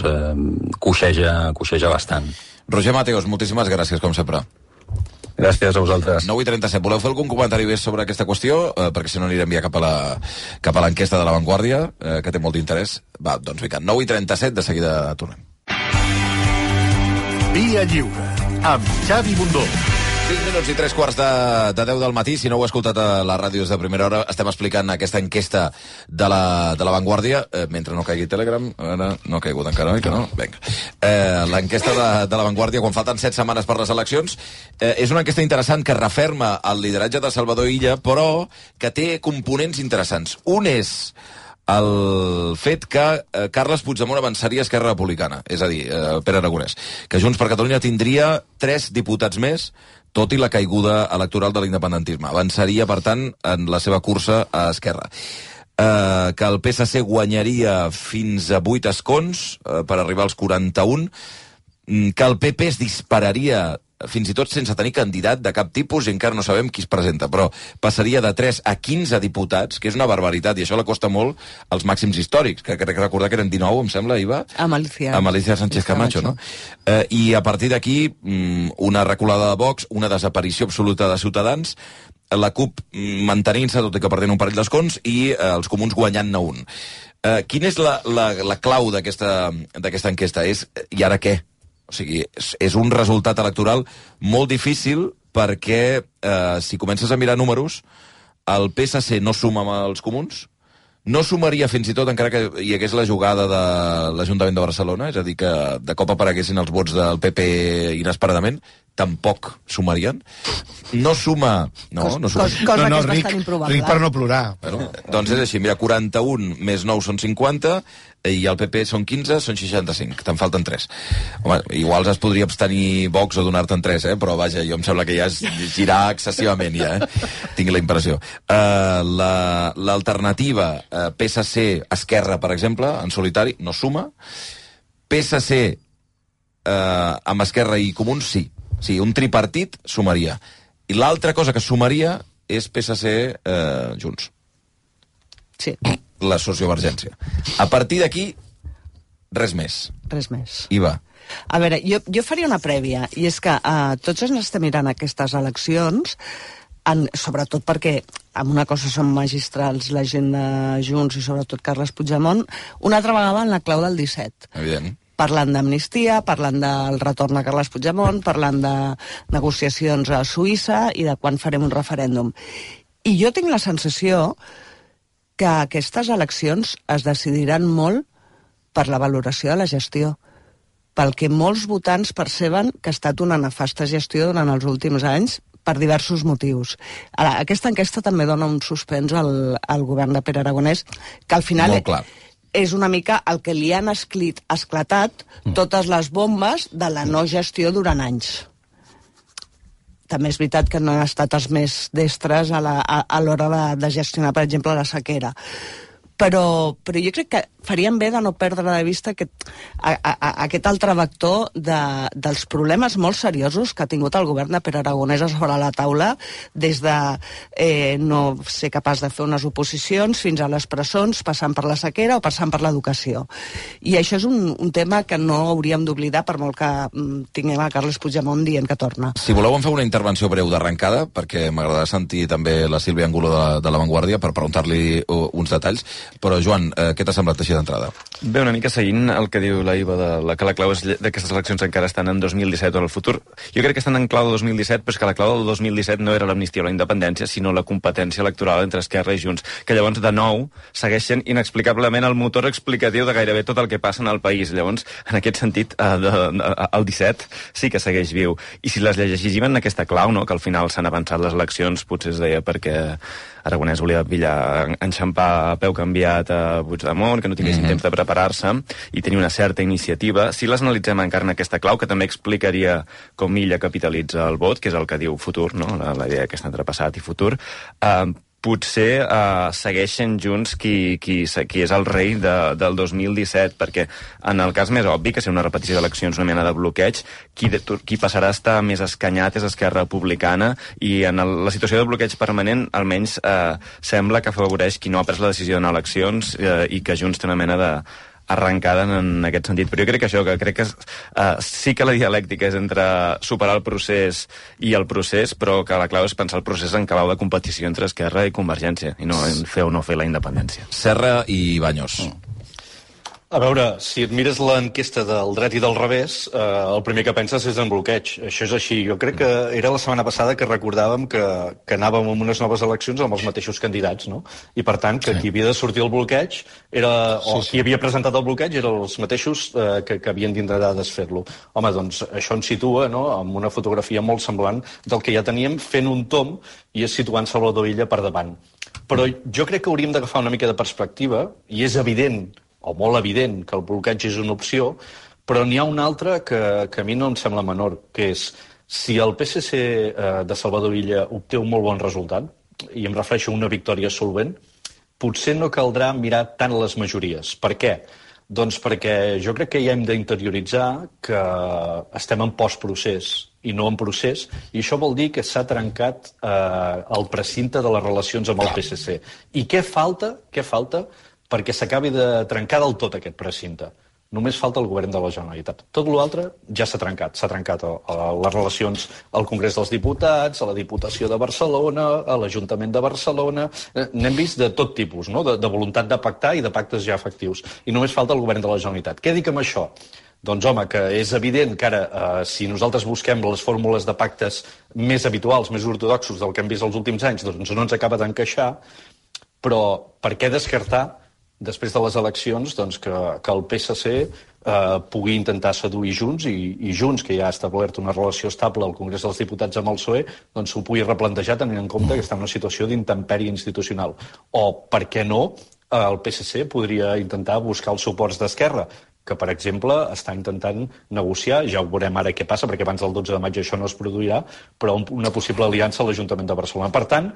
coixeja bastant. Roger Mateos, moltíssimes gràcies, com sempre. Gràcies a vosaltres. 9:37. Voleu fer algun comentari més sobre aquesta qüestió? Perquè si no anirem ja cap a l'enquesta de La Vanguardia, que té molt d'interès. Va, doncs vinga, 9:37, de seguida tornem. Via Lliure, amb Xavi Bundó. 5 minuts i 3 quarts de 10 del matí. Si no heu escoltat a les ràdios de Primera Hora, estem explicant aquesta enquesta de la Vanguardia, mentre no caigui Telegram. Ara no ha caigut encara, oi que no? Vinga. L'enquesta de la Vanguardia, quan falten 7 setmanes per les eleccions, és una enquesta interessant que referma el lideratge de Salvador Illa, però que té components interessants. Un és el fet que Carles Puigdemont avançaria a Esquerra Republicana, és a dir, Pere Aragonès, que Junts per Catalunya tindria 3 diputats més, tot i la caiguda electoral de l'independentisme. Avançaria, per tant, en la seva cursa a Esquerra. Que el PSC guanyaria fins a 8 escons per arribar als 41, que el PP es dispararia fins i tot sense tenir candidat de cap tipus, i encara no sabem qui es presenta, però passaria de 3 a 15 diputats, que és una barbaritat, i això la costa molt als màxims històrics, que crec recordar que eren 19, em sembla, Iva? Amb Alicia Sánchez Camacho, no? I a partir d'aquí, una reculada de Vox, una desaparició absoluta de Ciutadans, la CUP mantenint-se, tot i que perdent un parell d'escons, i els comuns guanyant-ne un. Quina és la clau d'aquesta enquesta? És, i ara què? O sigui, és un resultat electoral molt difícil perquè, si comences a mirar números, el PSC no suma amb els comuns, no sumaria fins i tot encara que hi hagués la jugada de l'Ajuntament de Barcelona, és a dir, que de cop apareguessin els vots del PP inesperadament, tampoc sumarien. No suma... Cosa que és bastant improbable. Ric per no plorar. Bueno, doncs és així, mira, 41 més 9 són 50, i el PP són 15, són 65, te'n falten 3. Home, igual es podria abstenir Vox o donar-te'n 3, però vaja, jo em sembla que ja és girar excessivament, ja, tinc la impressió. L'alternativa PSC-Esquerra, per exemple, en solitari, no suma. PSC amb Esquerra i Comuns, sí. Sí, un tripartit sumaria. I l'altra cosa que sumaria és PSC-Junts. Sí. La sociovergència. A partir d'aquí, res més. Res més. Iva. A veure, jo faria una prèvia, i és que tots ens estem mirant aquestes eleccions, sobretot perquè amb una cosa són magistrals la gent de Junts i sobretot Carles Puigdemont, una altra vegada en la clau del 17. Evident. Parlant d'amnistia, parlant del retorn a Carles Puigdemont, parlant de negociacions a Suïssa i de quan farem un referèndum. I jo tinc la sensació que aquestes eleccions es decidiran molt per la valoració de la gestió. pel que molts votants perceben que ha estat una nefasta gestió durant els últims anys per diversos motius. Ara, aquesta enquesta també dona un suspens al govern de Pere Aragonès, que al final és una mica el que li han esclatat totes les bombes de la no gestió durant anys. També és veritat que no han estat els més destres a l'hora de gestionar, per exemple, la sequera. Però jo crec que farien bé de no perdre de vista aquest altre vector dels problemes molt seriosos que ha tingut el govern de Pere Aragonès a sobre la taula, des de no ser capaç de fer unes oposicions fins a les presons, passant per la sequera o passant per l'educació. I això és un tema que no hauríem d'oblidar, per molt que tinguem a Carles Puigdemont dient que torna. Si voleu em feu una intervenció breu d'arrencada, perquè m'agradarà sentir també la Sílvia Angulo de La Vanguardia per preguntar-li uns detalls. Però, Joan, què t'ha semblat així d'entrada? Bé, una mica seguint el que diu la Iva, que la clau d'aquestes eleccions encara estan en 2017 o en el futur. Jo crec que estan en clau de 2017, però és que la clau del 2017 no era l'amnistia o la independència, sinó la competència electoral entre Esquerra i Junts, que llavors, de nou, segueixen inexplicablement el motor explicatiu de gairebé tot el que passa en el país. Llavors, en aquest sentit, el 17 sí que segueix viu. I si les llegim en aquesta clau, no?, que al final s'han avançat les eleccions, potser es deia perquè Aragonès volia enxampar a peu canviat a Puigdemont, que no tinguessin temps de preparar-se i tenir una certa iniciativa. Si les analitzem encara en aquesta clau, que també explicaria com Illa capitalitza el vot, que és el que diu futur, no?, la idea aquesta entre passat i futur, potser segueixen Junts qui és el rei del 2017, perquè en el cas més obvi, que és una repetició d'eleccions, una mena de bloqueig, qui passarà a estar més escanyat és Esquerra Republicana, i en la situació de bloqueig permanent almenys sembla que afavoreix qui no ha pres la decisió d'anar a eleccions i que Junts té una mena de arrencada en aquest sentit. Però jo crec que sí que la dialèctica és entre superar el procés i el procés, però que la clau és pensar el procés en clau de competició entre Esquerra i Convergència, i no en fer o no fer la independència. Serra i Baños. A veure, si et mires l'enquesta del dret i del revés, el primer que penses és en bloqueig. Això és així. Jo crec que era la setmana passada que recordàvem que anàvem amb unes noves eleccions amb els mateixos candidats, no? I per tant, que qui havia de sortir el bloqueig qui havia presentat el bloqueig eren els mateixos que havien d'intentar desfer-lo. Home, doncs això ens situa, no?, amb una fotografia molt semblant del que ja teníem, fent un tomb i és situant Salvador Illa per davant. Però jo crec que hauríem d'agafar una mica de perspectiva, i és evident, o molt evident, que el bloqueig és una opció, però n'hi ha una altra que a mi no em sembla menor, que és, si el PSC de Salvador Illa obté un molt bon resultat, i em refereixo a una victòria solvent, potser no caldrà mirar tant les majories. Per què? Doncs perquè jo crec que ja hem d'interioritzar que estem en postprocés i no en procés, i això vol dir que s'ha trencat el precinte de les relacions amb el PSC. I què falta perquè s'acabi de trencar del tot aquest precinte? Només falta el govern de la Generalitat. Tot l'altre ja s'ha trencat. S'ha trencat les relacions al Congrés dels Diputats, a la Diputació de Barcelona, a l'Ajuntament de Barcelona. N'hem vist de tot tipus, no?, de voluntat de pactar i de pactes ja efectius. I només falta el govern de la Generalitat. Què dic amb això? Doncs, home, que és evident que ara, si nosaltres busquem les fórmules de pactes més habituals, més ortodoxos del que hem vist els últims anys, doncs no ens acaba d'encaixar, però per què descartar després de les eleccions, doncs, que el PSC pugui intentar seduir Junts i Junts, que ja ha establert una relació estable al Congrés dels Diputats amb el PSOE, doncs s'ho pugui replantejar tenint en compte que està en una situació d'intempèrie institucional. O, per què no, el PSC podria intentar buscar els suports d'Esquerra, que, per exemple, està intentant negociar, ja ho veurem ara què passa, perquè abans del 12 de maig això no es produirà, però una possible aliança a l'Ajuntament de Barcelona. Per tant,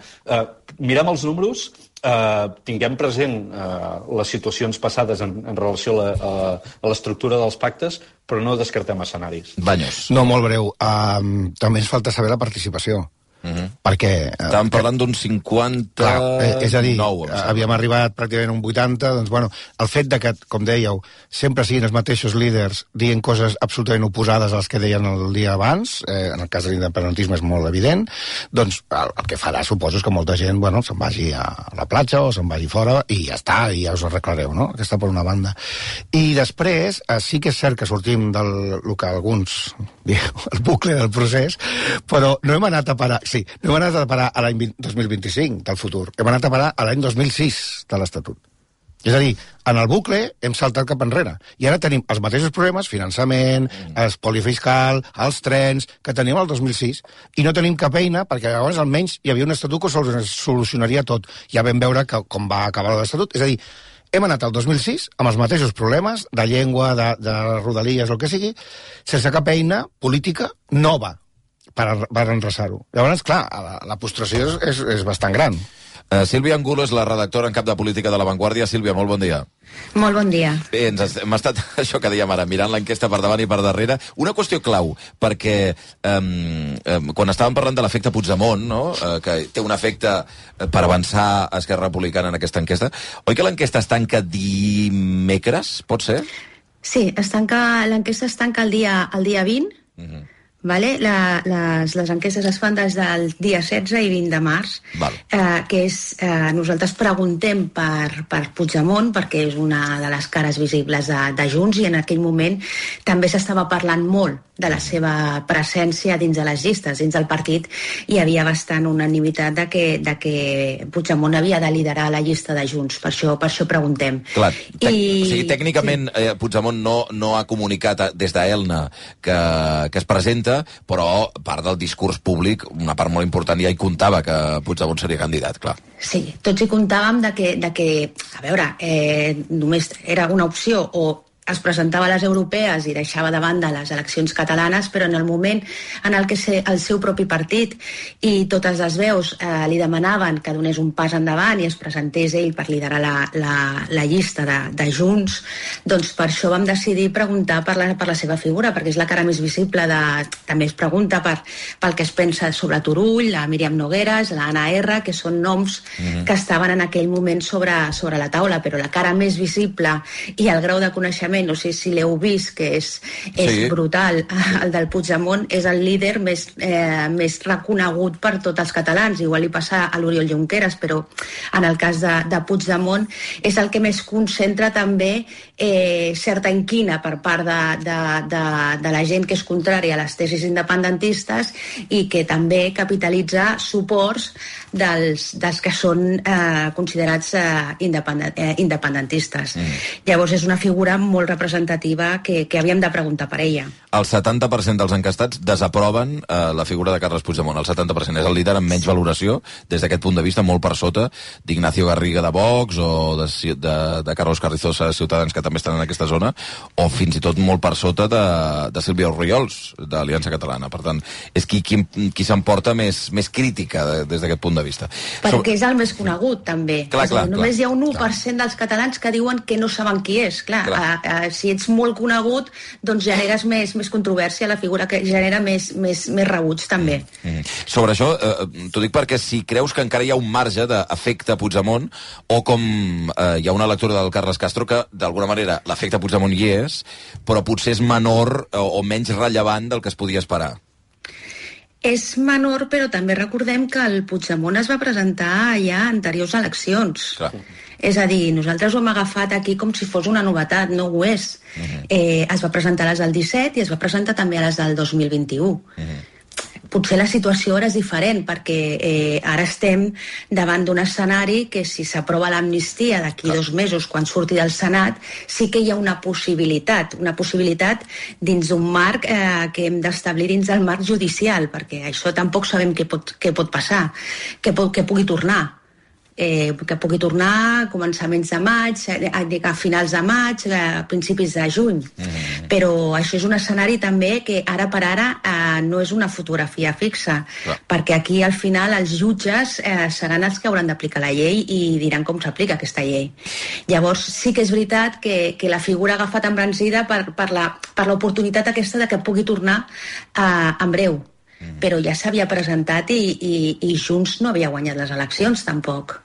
mirem els números, tinguem present les situacions passades en relació a l'estructura dels pactes, però no descartem escenaris. Baños. No, molt breu. També ens falta saber la participació. Perquè... Estàvem parlant d'un 59... És a dir, havíem arribat pràcticament a un 80, doncs, bueno, el fet de que, com dèieu, sempre siguin els mateixos líders dient coses absolutament oposades a les que deien el dia abans, en el cas de l'independentisme és molt evident, doncs el que farà, suposo, és que molta gent, bueno, se'n vagi a la platja o se'n vagi fora i ja està, i ja us arreglareu, no? Aquesta per una banda. I després, sí que és cert que sortim del que alguns diuen, el bucle del procés, però no hem anat a parar... Sí, no hem anat a parar a l'any 2025 del futur, hem anat a parar a l'any 2006 de l'Estatut. És a dir, en el bucle hem saltat cap enrere. I ara tenim els mateixos problemes, finançament, espoli fiscal, els trens, que tenim el 2006, i no tenim cap eina, perquè llavors almenys hi havia un estatut que solucionaria tot. Ja vam veure com va acabar l'estatut. És a dir, hem anat al 2006 amb els mateixos problemes de llengua, de rodalies, el que sigui, sense cap eina política nova per enreçar-ho. Llavors, clar, la frustració és bastant gran. Sílvia Angulo és la redactora en cap de política de La Vanguardia. Sílvia, molt bon dia. Molt bon dia. Bé, hem estat, això que dèiem ara, mirant l'enquesta per davant i per darrere. Una qüestió clau, perquè quan estàvem parlant de l'efecte Puigdemont, no? Que té un efecte per avançar a Esquerra Republicana en aquesta enquesta, oi que l'enquesta es tanca dimecres, pot ser? Sí, l'enquesta es tanca el dia 20, vale? Les enquestes es fan des del dia 16 i 20 de març, que és, nosaltres preguntem per Puigdemont, perquè és una de les cares visibles de Junts, i en aquell moment també s'estava parlant molt de la seva presència dins de les llistes, dins del partit. Hi havia bastant unanimitat de que Puigdemont havia de liderar la llista de Junts, per això preguntem. Clar, o sigui, tècnicament Puigdemont no ha comunicat des d'Elna que es presenta, però part del discurs públic, una part molt important, ja hi comptava que Puigdemont seria candidat, clar. Sí, tots hi comptàvem de que a veure, només era una opció, o es presentava a les europees i deixava de banda les eleccions catalanes, però en el moment en el que el seu propi partit i totes les veus li demanaven que donés un pas endavant i es presentés ell per liderar la llista de Junts, doncs per això vam decidir preguntar per la seva figura, perquè és la cara més visible. També es pregunta pel que es pensa sobre Turull, la Míriam Nogueras, l'Anna R, que són noms que estaven en aquell moment sobre la taula, però la cara més visible i el grau de coneixement, no sé si l'heu vist, que és brutal, el del Puigdemont, és el líder més reconegut per tots els catalans. Igual li passa a l'Oriol Junqueras, però en el cas de Puigdemont és el que més concentra també certa inquina per part de la gent que és contrària a les tesis independentistes i que també capitalitza suports dels que són considerats independentistes. Llavors és una figura molt representativa que havíem de preguntar per ella. El 70% dels encastats desaproven la figura de Carles Puigdemont. El 70% és el líder amb menys valoració, des d'aquest punt de vista, molt per sota d'Ignacio Garriga de Vox o de Carlos Carrizosa de Ciutadans, que també estan en aquesta zona, o fins i tot molt per sota de Sílvia Orriols, d'Aliança Catalana. Per tant, és qui s'emporta més crítica des d'aquest punt de vista. Perquè és el més conegut, també. Només hi ha un 1% dels catalans que diuen que no saben qui és. Si ets molt conegut, doncs generes més controvèrsia, la figura que genera més rebuig, també. Sobre això, t'ho dic perquè si creus que encara hi ha un marge d'efecte Puigdemont, o com hi ha una lectura del Carles Castro que, d'alguna manera, l'efecte Puigdemont hi és, però potser és menor o menys rellevant del que es podia esperar. És menor, però també recordem que el Puigdemont es va presentar ja a anteriors eleccions. Clar. És a dir, nosaltres ho hem agafat aquí com si fos una novetat, no ho és. Es va presentar a les del 17 i es va presentar també a les del 2021. Potser la situació ara és diferent, perquè ara estem davant d'un escenari que si s'aprova l'amnistia d'aquí 2 mesos, quan surti del Senat, sí que hi ha una possibilitat dins d'un marc que hem d'establir dins del marc judicial, perquè això tampoc sabem què pot passar, que pugui tornar. Que pugui tornar a començaments de maig, a finals de maig, a principis de juny. Però això és un escenari també que ara per ara no és una fotografia fixa, perquè aquí al final els jutges seran els que hauran d'aplicar la llei i diran com s'aplica aquesta llei. Llavors sí que és veritat que la figura ha agafat embranzida per l'oportunitat aquesta de que pugui tornar en breu. Però ja s'havia presentat i Junts no havia guanyat les eleccions, tampoc.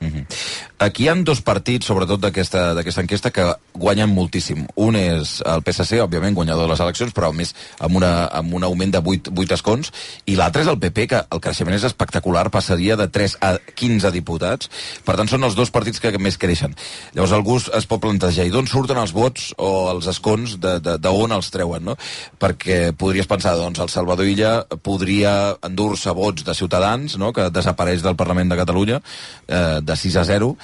Aquí hi ha 2 partits, sobretot d'aquesta enquesta, que guanyen moltíssim. Un és el PSC, òbviament, guanyador de les eleccions, però més amb un augment de 8 escons, i l'altre és el PP, que el creixement és espectacular, passaria de 3 a 15 diputats. Per tant, són els 2 partits que més creixen. Llavors, algú es pot plantejar, i d'on surten els vots o els escons, d'on els treuen, no? Perquè podries pensar, doncs, el Salvador Illa podria endur-se vots de Ciutadans, no?, que desapareix del Parlament de Catalunya, de 6 a 0,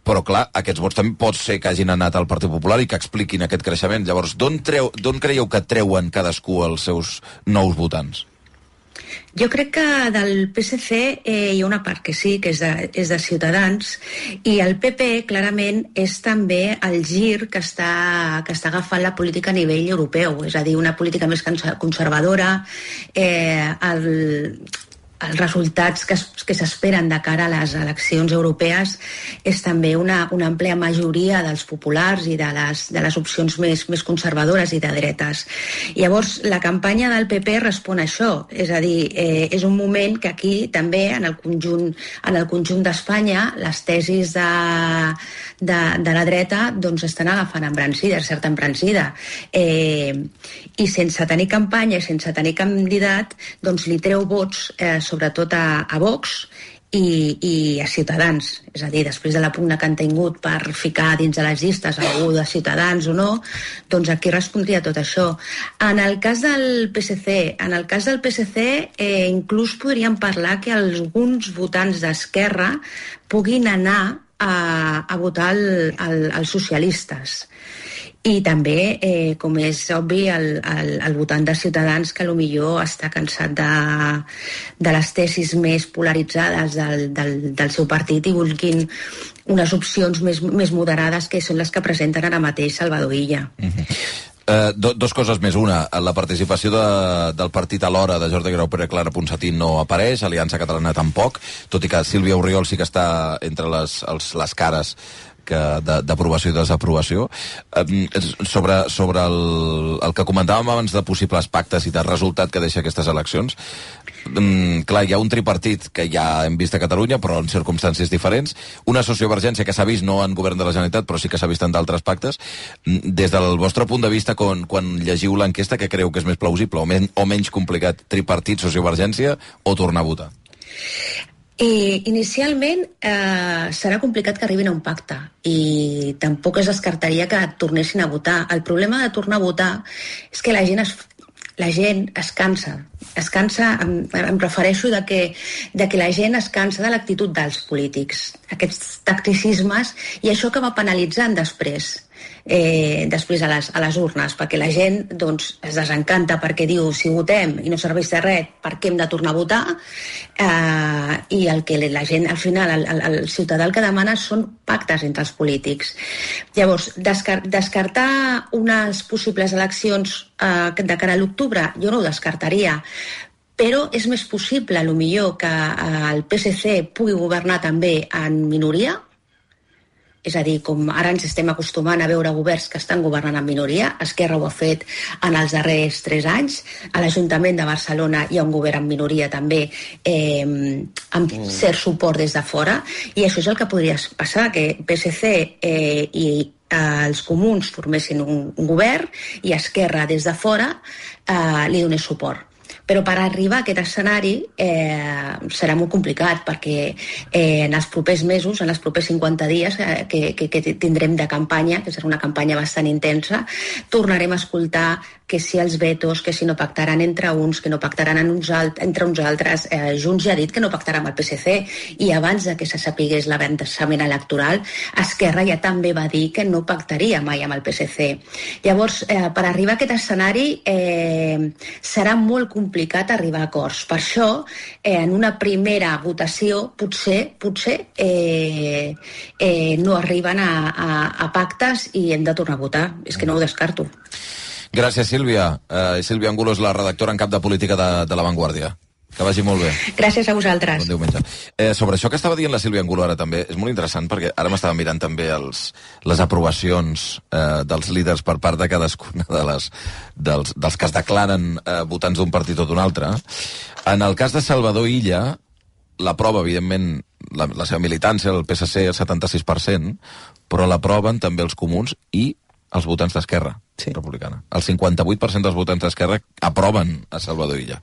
Però, clar, aquests vots també pot ser que hagin anat al Partit Popular i que expliquin aquest creixement. Llavors, d'on creieu que treuen cadascú els seus nous votants? Jo crec que del PSC hi ha una part que sí, que és de Ciutadans, i el PP clarament és també el gir que està agafant la política a nivell europeu, és a dir, una política més conservadora, els resultats que s'esperen de cara a les eleccions europees és també una àmplia majoria dels populars i de les opcions més conservadores i de dretes. Llavors, la campanya del PP respon a això, és a dir, és un moment que aquí també, en el conjunt d'Espanya, les tesis de la dreta doncs estan agafant embranzida, certa embranzida. I sense tenir campanya, sense tenir candidat, doncs li treu vots sobretot a Vox i a Ciutadans. És a dir, després de la pugna que han tingut per ficar dins de les llistes algú de Ciutadans o no, doncs aquí respondria tot això. En el cas del PSC, inclús podríem parlar que alguns votants d'Esquerra puguin anar a votar els socialistes. I també, com és obvi, el votant de Ciutadans que potser està cansat de les tesis més polaritzades del seu partit i vulguin unes opcions més moderades, que són les que presenten ara mateix Salvador Illa. Dos coses més. Una, la participació del partit Alhora de Jordi Grau Pere Clara Ponsatí no apareix, Aliança Catalana tampoc, tot i que Sílvia Orriol sí que està entre les cares d'aprovació i desaprovació. Sobre el que comentàvem abans de possibles pactes i de resultat que deixa aquestes eleccions, clar, hi ha un tripartit que ja hem vist a Catalunya, però en circumstàncies diferents, una sociovergència que s'ha vist no en govern de la Generalitat, però sí que s'ha vist en d'altres pactes. Des del vostre punt de vista, quan llegiu l'enquesta, què creu que és més plausible o menys complicat? Tripartit, sociovergència o tornar a votar? Inicialment serà complicat que arribin a un pacte i tampoc es descartaria que tornessin a votar. El problema de tornar a votar és que la gent es cansa. Em refereixo de que la gent es cansa de l'actitud dels polítics, aquests tacticismes, i això acaba penalitzant després a les urnes, perquè la gent doncs, es desencanta perquè diu, si votem i no serveix de res, per què hem de tornar a votar? I el que la gent, al final, el ciutadà el que demana són pactes entre els polítics. Llavors, descartar unes possibles eleccions de cara a l'octubre, jo no ho descartaria, però és més possible, potser, que el PSC pugui governar també en minoria. És a dir, com ara ens estem acostumant a veure governs que estan governant en minoria, Esquerra ho ha fet en els darrers 3 anys, a l'Ajuntament de Barcelona hi ha un govern en minoria també, amb cert suport des de fora, i això és el que podria passar, que PSC i els comuns formessin un govern i Esquerra des de fora li donés suport. Però per arribar a aquest escenari serà molt complicat, perquè en els propers mesos, en els propers 50 dies que tindrem de campanya, que serà una campanya bastant intensa, tornarem a escoltar que si els vetos, que si no pactaran entre uns, que no pactaran entre uns altres. Junts ja ha dit que no pactarà amb el PSC, i abans de que se sapigués l'avançament electoral, Esquerra ja també va dir que no pactaria mai amb el PSC. Llavors, per arribar a aquest escenari serà molt complicat arribar a acords. Per això, en una primera votació, potser no arriben a pactes i hem de tornar a votar. És que no ho descarto. Gràcies, Sílvia. Sílvia Angulo és la redactora en cap de política de La Vanguardia. Que vagi molt bé. Gràcies a vosaltres. Bon diumenge. Sobre això que estava dient la Sílvia Angulo ara també, és molt interessant, perquè ara m'estava mirant també les aprovacions dels líders per part de cadascuna dels que es declaren votants d'un partit o d'un altre. En el cas de Salvador Illa, l'aprova, evidentment, la seva militància, el PSC, el 76%, però l'aproven també els comuns i els votants d'Esquerra Republicana. El 58% dels votants d'Esquerra aproven a Salvador Illa.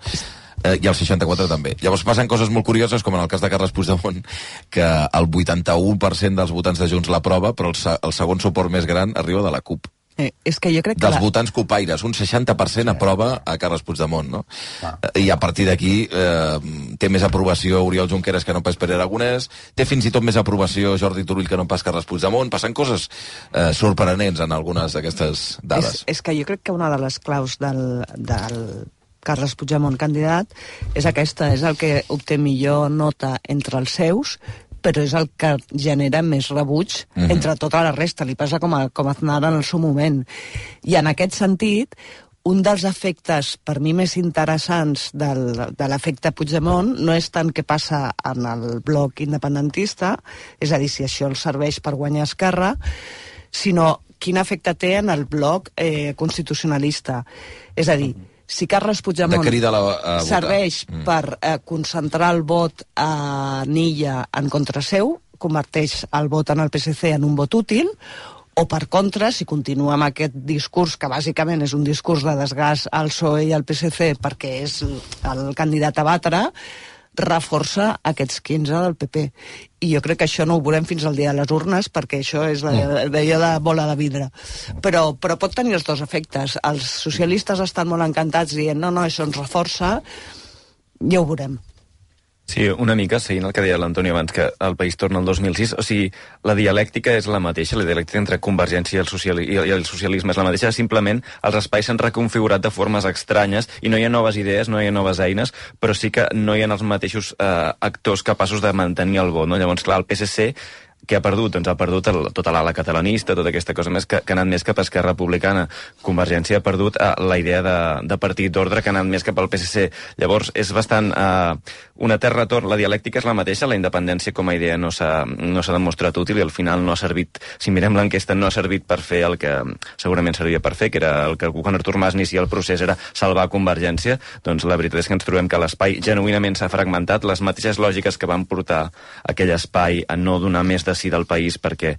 I el 64% també. Llavors passen coses molt curioses, com en el cas de Carles Puigdemont, que el 81% dels votants de Junts l'aprova, però el segon suport més gran arriba de la CUP. És que jo crec que dels votants cupaires, un 60% aprova a Carles Puigdemont, no? I a partir d'aquí té més aprovació Oriol Junqueras que no pas Pere Aragonès, té fins i tot més aprovació Jordi Turull que no pas Carles Puigdemont. Passen coses sorprenents en algunes d'aquestes dades. És que jo crec que una de les claus del Carles Puigdemont candidat és aquesta, és el que obté millor nota entre els seus, però és el que genera més rebuig entre tota la resta. Li passa com a Aznar en el seu moment. I en aquest sentit, un dels efectes, per mi, més interessants de l'efecte Puigdemont no és tant què passa en el bloc independentista, és a dir, si això els serveix per guanyar Esquerra, sinó quin efecte té en el bloc constitucionalista. És a dir, si Carles Puigdemont serveix per concentrar el vot a Nilla en contra seu, converteix el vot en el PSC en un vot útil, o per contra, si continua amb aquest discurs, que bàsicament és un discurs de desgast al PSOE i al PSC perquè és el candidat a batre, reforça aquests 15 del PP. I jo crec que això no ho veurem fins al dia de les urnes, perquè això és d'allò de bola de vidre. Però pot tenir els dos efectes. Els socialistes estan molt encantats dient no, això ens reforça, ja ho veurem. Sí, una mica, seguint el que deia l'Antoni abans, que el país torna al 2006, o sigui, la dialèctica és la mateixa, la dialèctica entre Convergència i el socialisme és la mateixa, simplement els espais s'han reconfigurat de formes estranyes i no hi ha noves idees, no hi ha noves eines, però sí que no hi ha els mateixos actors capaços de mantenir el vot, no? Llavors, clar, el PSC que ha perdut? Doncs ha perdut tota l'ala catalanista, tota aquesta cosa més que ha anat més cap a Esquerra Republicana. Convergència ha perdut la idea de partit d'ordre que ha anat més cap al PSC. Llavors, és bastant un etern retorn. La dialèctica és la mateixa, la independència com a idea no s'ha demostrat útil i al final no ha servit, si mirem l'enquesta, no ha servit per fer el que segurament servia per fer, que era el que quan Artur Mas inicia el procés era salvar Convergència. Doncs la veritat és que ens trobem que l'espai genuïnament s'ha fragmentat, les mateixes lògiques que van portar aquell espai a no donar més de sí del país perquè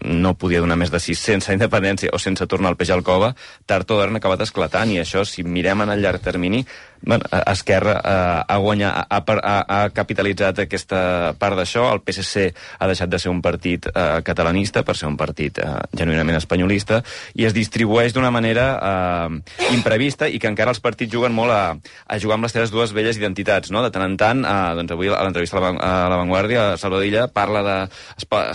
no podia donar més de sí sense independència o sense tornar el peix al cova, tard o d'hora han acabat esclatant, i això, si mirem en el llarg termini, Esquerra ha capitalitzat aquesta part d'això, el PSC ha deixat de ser un partit catalanista per ser un partit genuïnament espanyolista, i es distribueix d'una manera imprevista, i que encara els partits juguen molt a jugar amb les seves dues velles identitats, no? De tant en tant, doncs avui a l'entrevista a La Vanguardia, Salvador Illa parla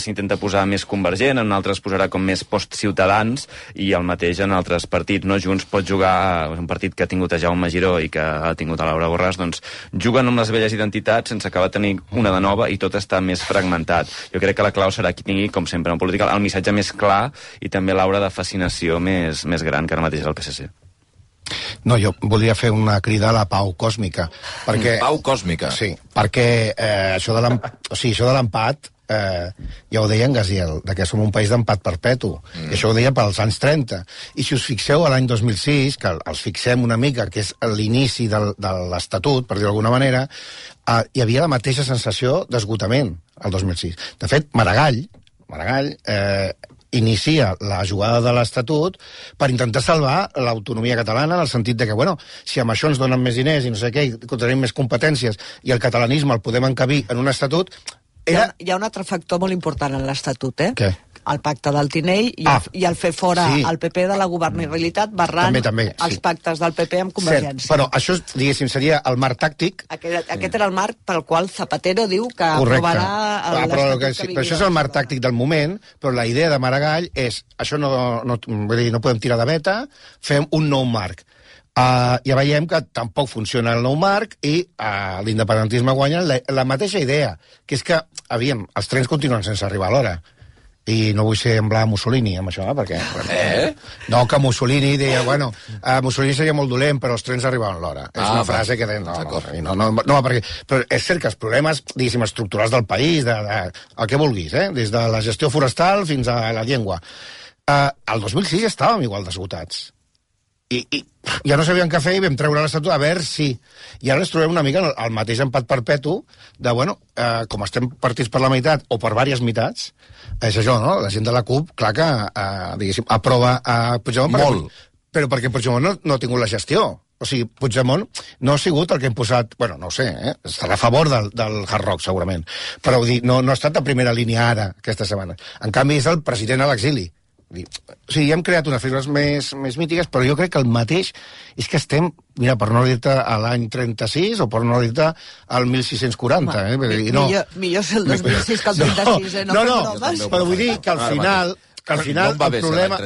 s'intenta posar més convergent, en altres posarà com més post-ciutadans, i el mateix en altres partits, no? Junts pot jugar, un partit que ha tingut a Jaume Giró i que ha tingut a Laura Borràs, doncs juguen amb les velles identitats sense acabar de tenir una de nova, i tot està més fragmentat. Jo crec que la clau serà qui tingui, com sempre en política, el missatge més clar i també l'aura de fascinació més gran que ara mateix és el PSC. No, jo voldria fer una crida a la pau còsmica. Perquè, pau còsmica? Sí, perquè això de l'empat ja ho deia en Gaziel, que som un país d'empat perpetu, i això ho deia pels anys 30, i si us fixeu a l'any 2006, que els fixem una mica, que és l'inici de l'Estatut, per dir-ho d'alguna manera, hi havia la mateixa sensació d'esgotament al 2006. De fet, Maragall inicia la jugada de l'Estatut per intentar salvar l'autonomia catalana, en el sentit de que, bueno, si amb això ens donen més diners i no sé què, i tenim més competències, i el catalanisme el podem encabir en un estatut... Hi ha un altre factor molt important en l'Estatut, Què? El pacte del Tinell i el fer fora el PP de la governabilitat barrant els pactes del PP amb Convergència. Cert, però això, diguéssim, seria el marc tàctic. Aquest era el marc pel qual Zapatero diu que aprovarà l'Estatut que vivia. Però això és el marc tàctic del moment, però la idea de Maragall és això no podem tirar de veta, fem un nou marc. Ja veiem que tampoc funciona el nou marc i l'independentisme guanya la mateixa idea, que és que, els trens continuen sense arribar a l'hora. I no vull semblar Mussolini amb això, perquè... No, que Mussolini deia, bueno, Mussolini seria molt dolent, però els trens arribaven a l'hora. És una frase que... No, perquè... Però és cert que els problemes, diguéssim, estructurals del país, el que vulguis, des de la gestió forestal fins a la llengua. El 2006 estàvem igual d'esgotats. I ja no sabíem què fer i vam treure l'Estatut a veure si... I ara ens trobem una mica el mateix empat perpetu de, bueno, com estem partits per la meitat o per diverses meitats, és això, no? La gent de la CUP, clar que, diguéssim, aprova a Puigdemont... Molt. Però perquè Puigdemont no ha tingut la gestió. O sigui, Puigdemont no ha sigut el que hem posat... Bueno, no ho sé, estarà a favor del Hard Rock, segurament. Però no ha estat a primera línia ara, aquesta setmana. En canvi, és el president a l'exili. O sigui, hem creat unes figures més mítiques, però jo crec que el mateix és que estem, mira, per no dir-te a l'any 36 o per no dir-te al 1640. Millor ser el 2006 que el 36, No, però vull dir que al final... Que al final no el problema...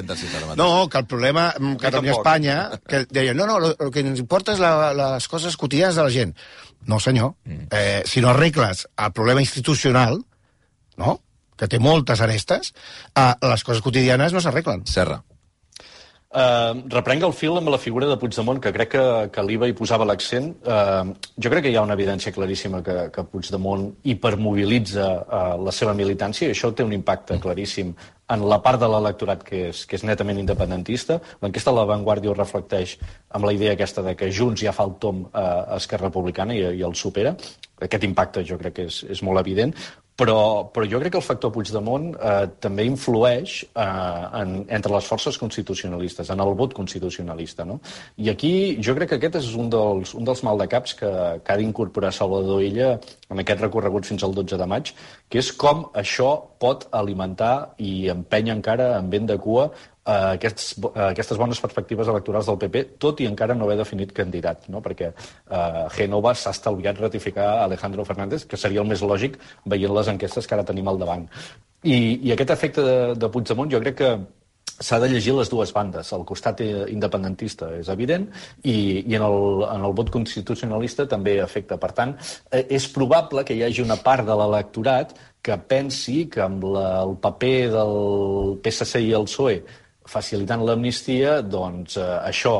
que el problema Catalunya-Espanya, que deien, el que ens importa és les coses quotidianes de la gent. No, senyor. Si no arregles el problema institucional, no?, que té moltes arestes, les coses quotidianes no s'arreglen. Serra. Reprenc el fil amb la figura de Puigdemont, que crec que l'Iva hi posava l'accent. Jo crec que hi ha una evidència claríssima que Puigdemont hipermobilitza la seva militància, i això té un impacte claríssim en la part de l'electorat que és netament independentista. L'enquesta de La Vanguardia ho reflecteix amb la idea aquesta de que Junts ja fa el tom a Esquerra Republicana i el supera. Aquest impacte jo crec que és molt evident, però jo crec que el factor Puigdemont també influeix entre les forces constitucionalistes, en el vot constitucionalista, no? I aquí jo crec que aquest és un dels maldecaps que ha d'incorporar Salvador Illa en aquest recorregut fins al 12 de maig, que és com això pot alimentar i empènyer encara en vent de cua aquestes bones perspectives electorals del PP, tot i encara no haver definit candidat, no? Perquè Génova s'ha estalviat ratificar Alejandro Fernández, que seria el més lògic veient les enquestes que ara tenim al davant. I aquest efecte de Puigdemont jo crec que s'ha de llegir les dues bandes. El costat independentista és evident i en el vot constitucionalista també afecta. Per tant, és probable que hi hagi una part de l'electorat que pensi que amb el paper del PSC i el PSOE facilitant l'amnistia, doncs això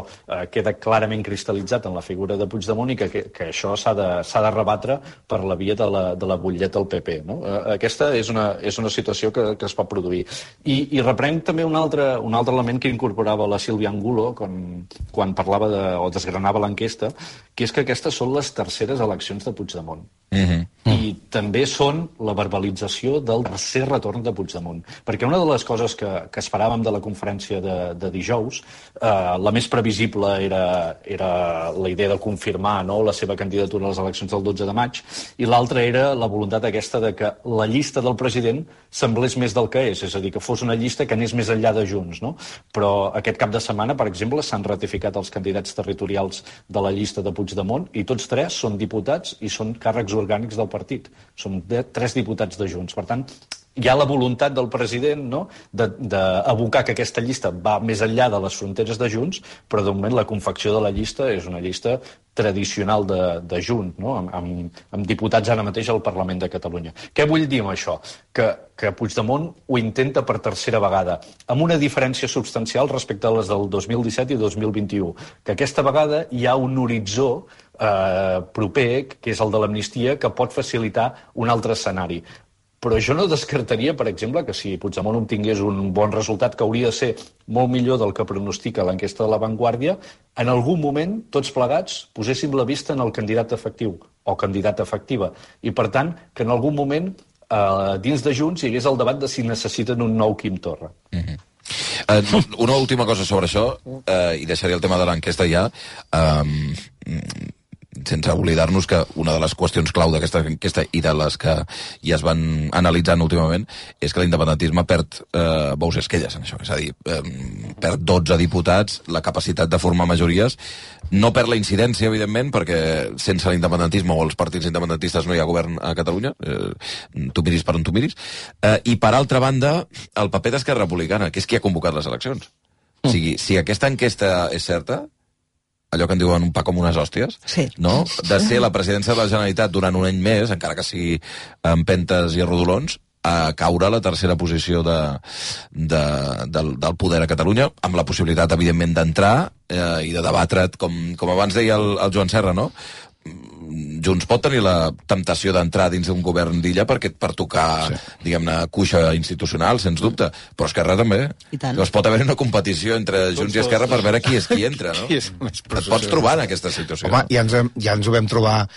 queda clarament cristal·litzat en la figura de Puigdemont i que això s'ha de rebatre per la via de la butlleta del PP, no? Aquesta és una situació que es pot produir. I reprenc també un altre element que incorporava la Sílvia Angulo quan parlava o desgranava l'enquesta, que és que aquestes són les terceres eleccions de Puigdemont. I també són la verbalització del tercer retorn de Puigdemont. Perquè una de les coses que esperàvem de la conferència de dijous, la més previsible era la idea de confirmar, no?, la seva candidatura a les eleccions del 12 de maig, i l'altra era la voluntat aquesta de que la llista del president semblés més del que és a dir, que fos una llista que anés més enllà de Junts, no? Però aquest cap de setmana, per exemple, s'han ratificat els candidats territorials de la llista de Puigdemont i tots tres són diputats i són càrrecs orgànics del partit. Són 3 diputats de Junts. Per tant, hi ha la voluntat del president, no?, d'abocar que aquesta llista va més enllà de les fronteres de Junts, però de moment la confecció de la llista és una llista tradicional de Junts, no?, amb diputats ara mateix al Parlament de Catalunya. Què vull dir amb això? Que Puigdemont ho intenta per tercera vegada, amb una diferència substancial respecte a les del 2017 i 2021, que aquesta vegada hi ha un horitzó proper, que és el de l'amnistia, que pot facilitar un altre escenari. Però jo no descartaria, per exemple, que si Puigdemont obtingués un bon resultat, que hauria de ser molt millor del que pronostica l'enquesta de La Vanguardia, en algun moment, tots plegats, poséssim la vista en el candidat efectiu o candidata efectiva. I, per tant, que en algun moment, dins de Junts, hi hagués el debat de si necessiten un nou Quim Torra. Una última cosa sobre això, i deixaré el tema de l'enquesta ja, sense oblidar-nos que una de les qüestions clau d'aquesta enquesta i de les que ja es van analitzant últimament és que l'independentisme perd bous i esquelles en això, és a dir, perd 12 diputats, la capacitat de formar majories, no perd la incidència, evidentment, perquè sense l'independentisme o els partits independentistes no hi ha govern a Catalunya, tu miris per on tu miris, i per altra banda, el paper d'Esquerra Republicana, que és qui ha convocat les eleccions. O sigui, si aquesta enquesta és certa, allò que en diuen un pa com unes hòsties, sí, no?, de ser la presidència de la Generalitat durant un any més, encara que sigui amb empentes i rodolons, a caure a la tercera posició del poder a Catalunya, amb la possibilitat, evidentment, d'entrar i de debatre't, com abans deia el Joan Serra, no?, Junts pot tenir la temptació d'entrar dins d'un govern d'illa per tocar, diguem-ne, cuixa institucional, sens dubte, però Esquerra també. Llavors pot haver una competició entre Junts i Esquerra per veure qui és qui entra, no? Et pots trobar en aquesta situació. Home, ja ens ho vam trobar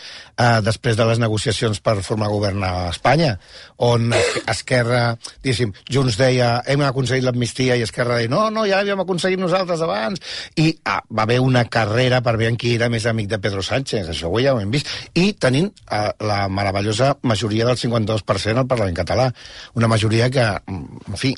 després de les negociacions per formar govern a Espanya, on Esquerra, diguéssim, Junts deia hem aconseguit l'amnistia i Esquerra deia no, ja l'havíem aconseguit nosaltres abans, i va haver una carrera per veure qui era més amic de Pedro Sánchez, això ja ho hem vist, i tenint la meravellosa majoria del 52% al Parlament català. Una majoria que, en fi,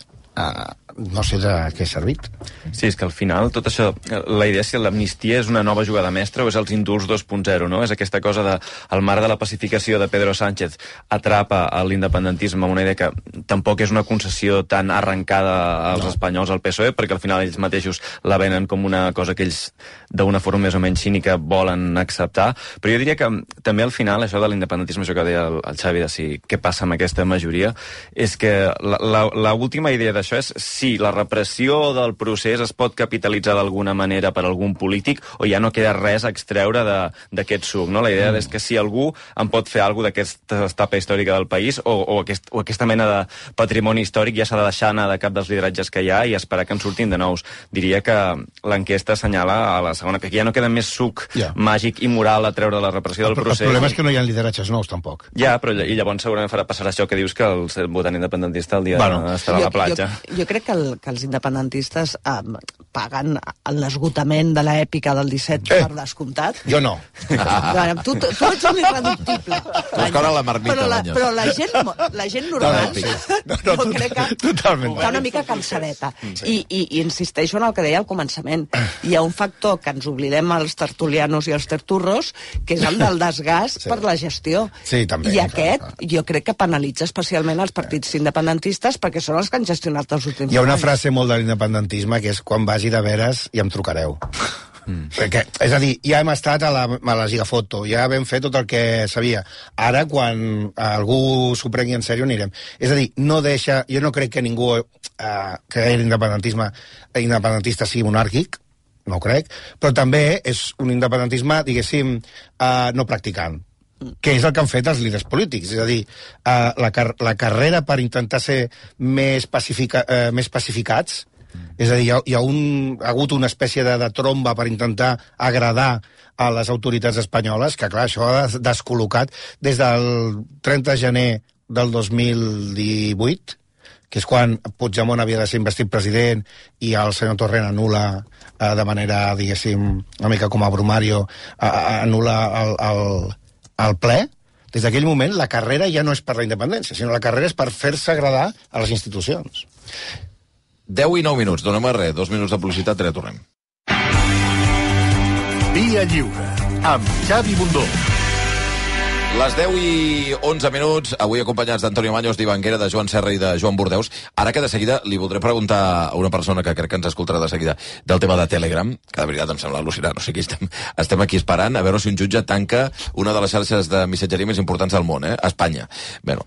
no sé de què ha servit. Sí, és que al final tot això, la idea és que l'amnistia és una nova jugada mestra o és els indults 2.0, no? És aquesta cosa de, al marc de la pacificació de Pedro Sánchez atrapa a l'independentisme amb una idea que tampoc és una concessió tan arrencada als espanyols al PSOE, perquè al final ells mateixos la venen com una cosa que ells d'una forma més o menys cínica volen acceptar, però jo diria que també al final això de l'independentisme, això que deia el Xavi de si què passa amb aquesta majoria, és que la última idea d'això és si la repressió del procés es pot capitalitzar d'alguna manera per algun polític o ja no queda res a extreure d'aquest suc, no? La idea és que si algú en pot fer alguna d'aquesta etapa històrica del país o aquesta mena de patrimoni històric ja s'ha de deixar anar de cap dels lideratges que hi ha i esperar que en surtin de nous. Diria que l'enquesta assenyala a la segona, que ja no queda més suc màgic i moral a treure la repressió del procés. El problema és que no hi ha lideratges nous, tampoc. Ja, però i llavors segurament passarà això que dius que el votant independentista el dia estarà a la platja. Jo crec que els independentistes paguen l'esgotament de l'èpica del 17 per descomptat. Jo no. Tu ets un irreductible. Però la gent normal jo crec que està una mica cansadeta. I insisteixo en el que deia al començament. Hi ha un factor que ens oblidem els tertulianos i els terturros, que és el del desgast per la gestió. Sí, també. I aquest jo crec que penalitza especialment els partits independentistes perquè són els que han gestionat els últims anys. Hi ha una frase molt de l'independentisme que és quan vagi de veres i em trucareu. Perquè, és a dir, ja hem estat a la gigafoto, ja vam fer tot el que sabia. Ara, quan algú s'ho prengui en sèrio, anirem. És a dir, jo no crec que ningú que independentista sigui monàrquic, no ho crec, però també és un independentisme, diguéssim, no practicant, que és el que han fet els líders polítics. És a dir, la carrera per intentar ser més pacificats, és a dir, hi ha hagut una espècie de tromba per intentar agradar a les autoritats espanyoles, que clar, això ha descol·locat des del 30 de gener del 2018, que és quan Puigdemont havia de ser investit president i el senyor Torrent anul·la de manera, diguéssim, una mica com a Brumario, anul·la el ple. Des d'aquell moment la carrera ja no és per la independència, sinó la carrera és per fer-se agradar a les institucions. 10 i 9 minuts, donem res, 2 minuts de publicitat, ara tornem. Via Lliure, amb Xavi Bundó. Les 10 i 11 minuts, avui acompanyats d'Antonio Maños, d'Ivanguera, de Joan Serra i de Joan Bordeus. Ara que de seguida li voldré preguntar a una persona que crec que ens escoltarà de seguida del tema de Telegram, que de veritat em sembla al·lucinant, o sigui, estem aquí esperant a veure si un jutge tanca una de les xarxes de missatgeria més importants del món, a Espanya. Bé,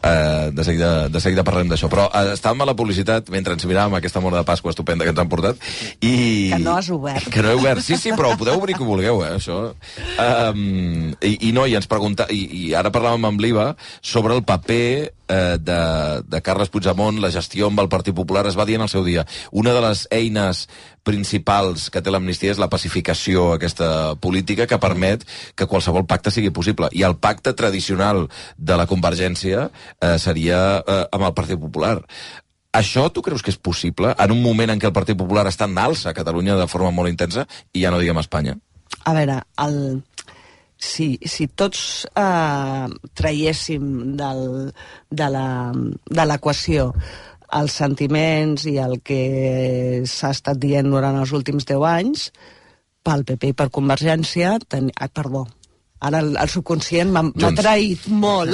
de seguida parlem d'això, però estàvem a la publicitat mentre ens miràvem aquesta mona de Pasqua estupenda que ens han portat i... Que no has obert. Que no he obert, sí, però ho podeu obrir que vulgueu, això. I ens pregunta... I ara parlàvem amb l'Iva sobre el paper de Carles Puigdemont, la gestió amb el Partit Popular. Es va dir en el seu dia, una de les eines principals que té l'amnistia és la pacificació aquesta política que permet que qualsevol pacte sigui possible. I el pacte tradicional de la Convergència seria amb el Partit Popular. Això tu creus que és possible en un moment en què el Partit Popular està en alça a Catalunya de forma molt intensa i ja no diguem a Espanya? A veure, si tots traiéssim de l'equació els sentiments i el que s'ha estat dient durant els últims 10 anys, pel PP i per Convergència... Perdó, ara el subconscient m'ha traït molt.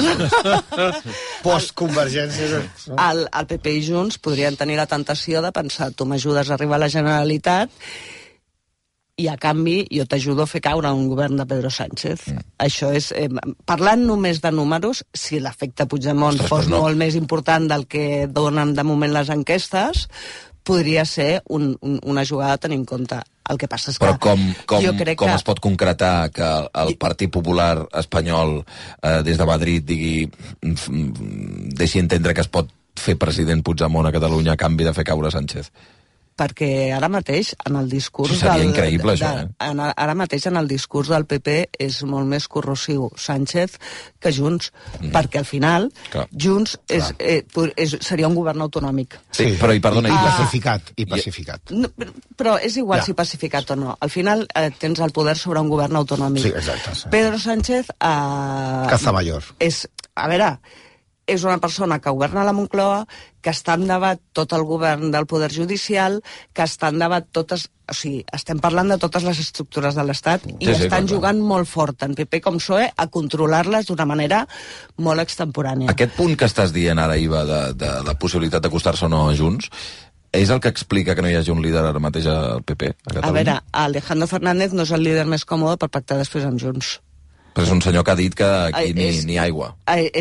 Post-Convergència. El PP i Junts podrien tenir la tentació de pensar tu m'ajudes a arribar a la Generalitat i a canvi jo t'ajudo a fer caure un govern de Pedro Sánchez. Això és... parlant només de números, si l'efecte Puigdemont fos molt més important del que donen de moment les enquestes, podria ser una jugada a tenir en compte. El que passa és que... Però com es pot concretar que el Partit Popular espanyol des de Madrid deixi entendre que es pot fer president Puigdemont a Catalunya a canvi de fer caure Sánchez? Perquè ara mateix en el discurs seria increïble, això, ara mateix en el discurs del PP és molt més corrosiu Sánchez que Junts, perquè al final Junts seria un govern autonòmic. Sí, però i perdona... I pacificat. Però és igual si pacificat o no. Al final tens el poder sobre un govern autonòmic. Sí, exacte. Pedro Sánchez... Caza mayor. A veure... és una persona que governa la Moncloa, que està en debat tot el govern del Poder Judicial, que està en debat totes... O sigui, estem parlant de totes les estructures de l'Estat i estan jugant molt fort, tant PP com PSOE, a controlar-les d'una manera molt extemporània. Aquest punt que estàs dient ara, Iva, de la possibilitat d'acostar-se o no a Junts, és el que explica que no hi hagi un líder ara mateix al PP, a Catalunya? A veure, Alejandro Fernández no és el líder més còmode per pactar després amb Junts. Però és un senyor que ha dit que aquí ni aigua.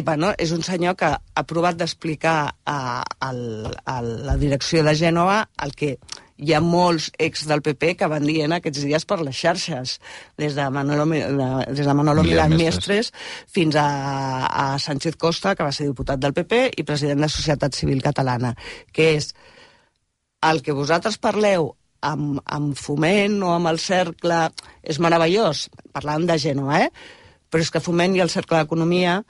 Bueno, és un senyor que ha provat d'explicar a la direcció de Gènova el que hi ha molts ex del PP que van dient aquests dies per les xarxes, des de Manolo Milán Mestres fins a Sánchez Costa, que va ser diputat del PP i president de Societat Civil Catalana, que és el que vosaltres parleu amb Foment o amb el Cercle és meravellós, parlant de Gènova, però és que Foment i el Cercle d'Economia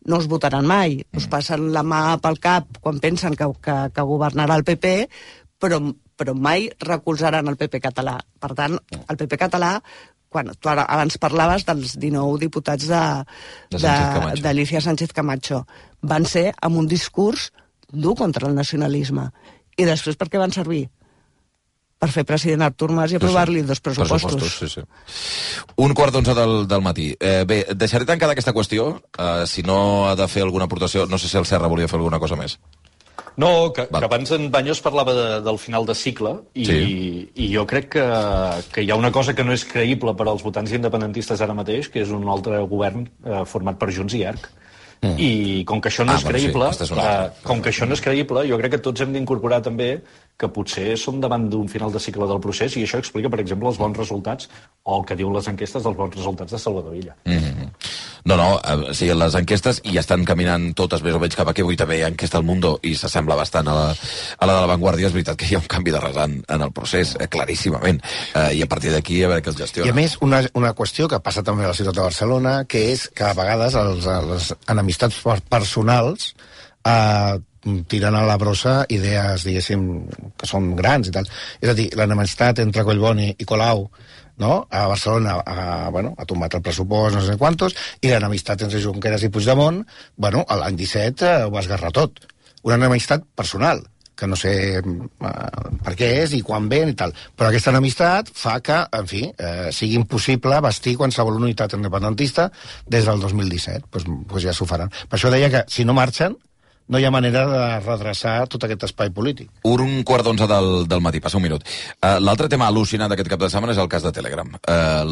no us votaran mai, us passen la mà pel cap quan pensen que governarà el PP, però mai recolzaran el PP català. Per tant, el PP català, quan tu abans parlaves dels 19 diputats d'Alicia Sánchez Camacho, van ser amb un discurs dur contra el nacionalisme. I després per què van servir? Per fer president Artur Mas i aprovar-li 2 pressupostos. Sí. 11:15 del matí. Bé, deixaré tancada aquesta qüestió, si no ha de fer alguna aportació. No sé si el Serra volia fer alguna cosa més. No, que abans en Baños parlava del final de cicle i jo crec que hi ha una cosa que no és creïble per als votants independentistes ara mateix, que és un altre govern format per Junts i ERC. I com que això no és creïble, jo crec que tots hem d'incorporar també que potser som davant d'un final de cicle del procés i això explica, per exemple, els bons resultats o el que diuen les enquestes dels bons resultats de Salvador Illa. No, sí, les enquestes i estan caminant totes més o menys cap aquí. Avui també hi ha enquesta al Mundo i s'assembla bastant a la de La Vanguardia. És veritat que hi ha un canvi de rasant en el procés, claríssimament. I a partir d'aquí a veure què es gestiona. I a més, una qüestió que passa també a la ciutat de Barcelona, que és que a vegades les enemistats personals tiren a la brossa idees, diguéssim, que són grans i tal. És a dir, l'enemistat entre Collboni i Colau, no? A Barcelona ha tombat el pressupost, no sé quantos, i l'enemistat entre Junqueras i Puigdemont, l'any 17 ho va esgarrar tot. Una enemistat personal, que no sé per què és i quan ve i tal. Però aquesta enemistat fa que, en fi, sigui impossible bastir qualsevol unitat independentista des del 2017. Doncs ja s'ho faran. Per això deia que, si no marxen, no hi ha manera de redreçar tot aquest espai polític. 11:15 del matí, passa un minut. L'altre tema al·lucinant d'aquest cap de setmana és el cas de Telegram.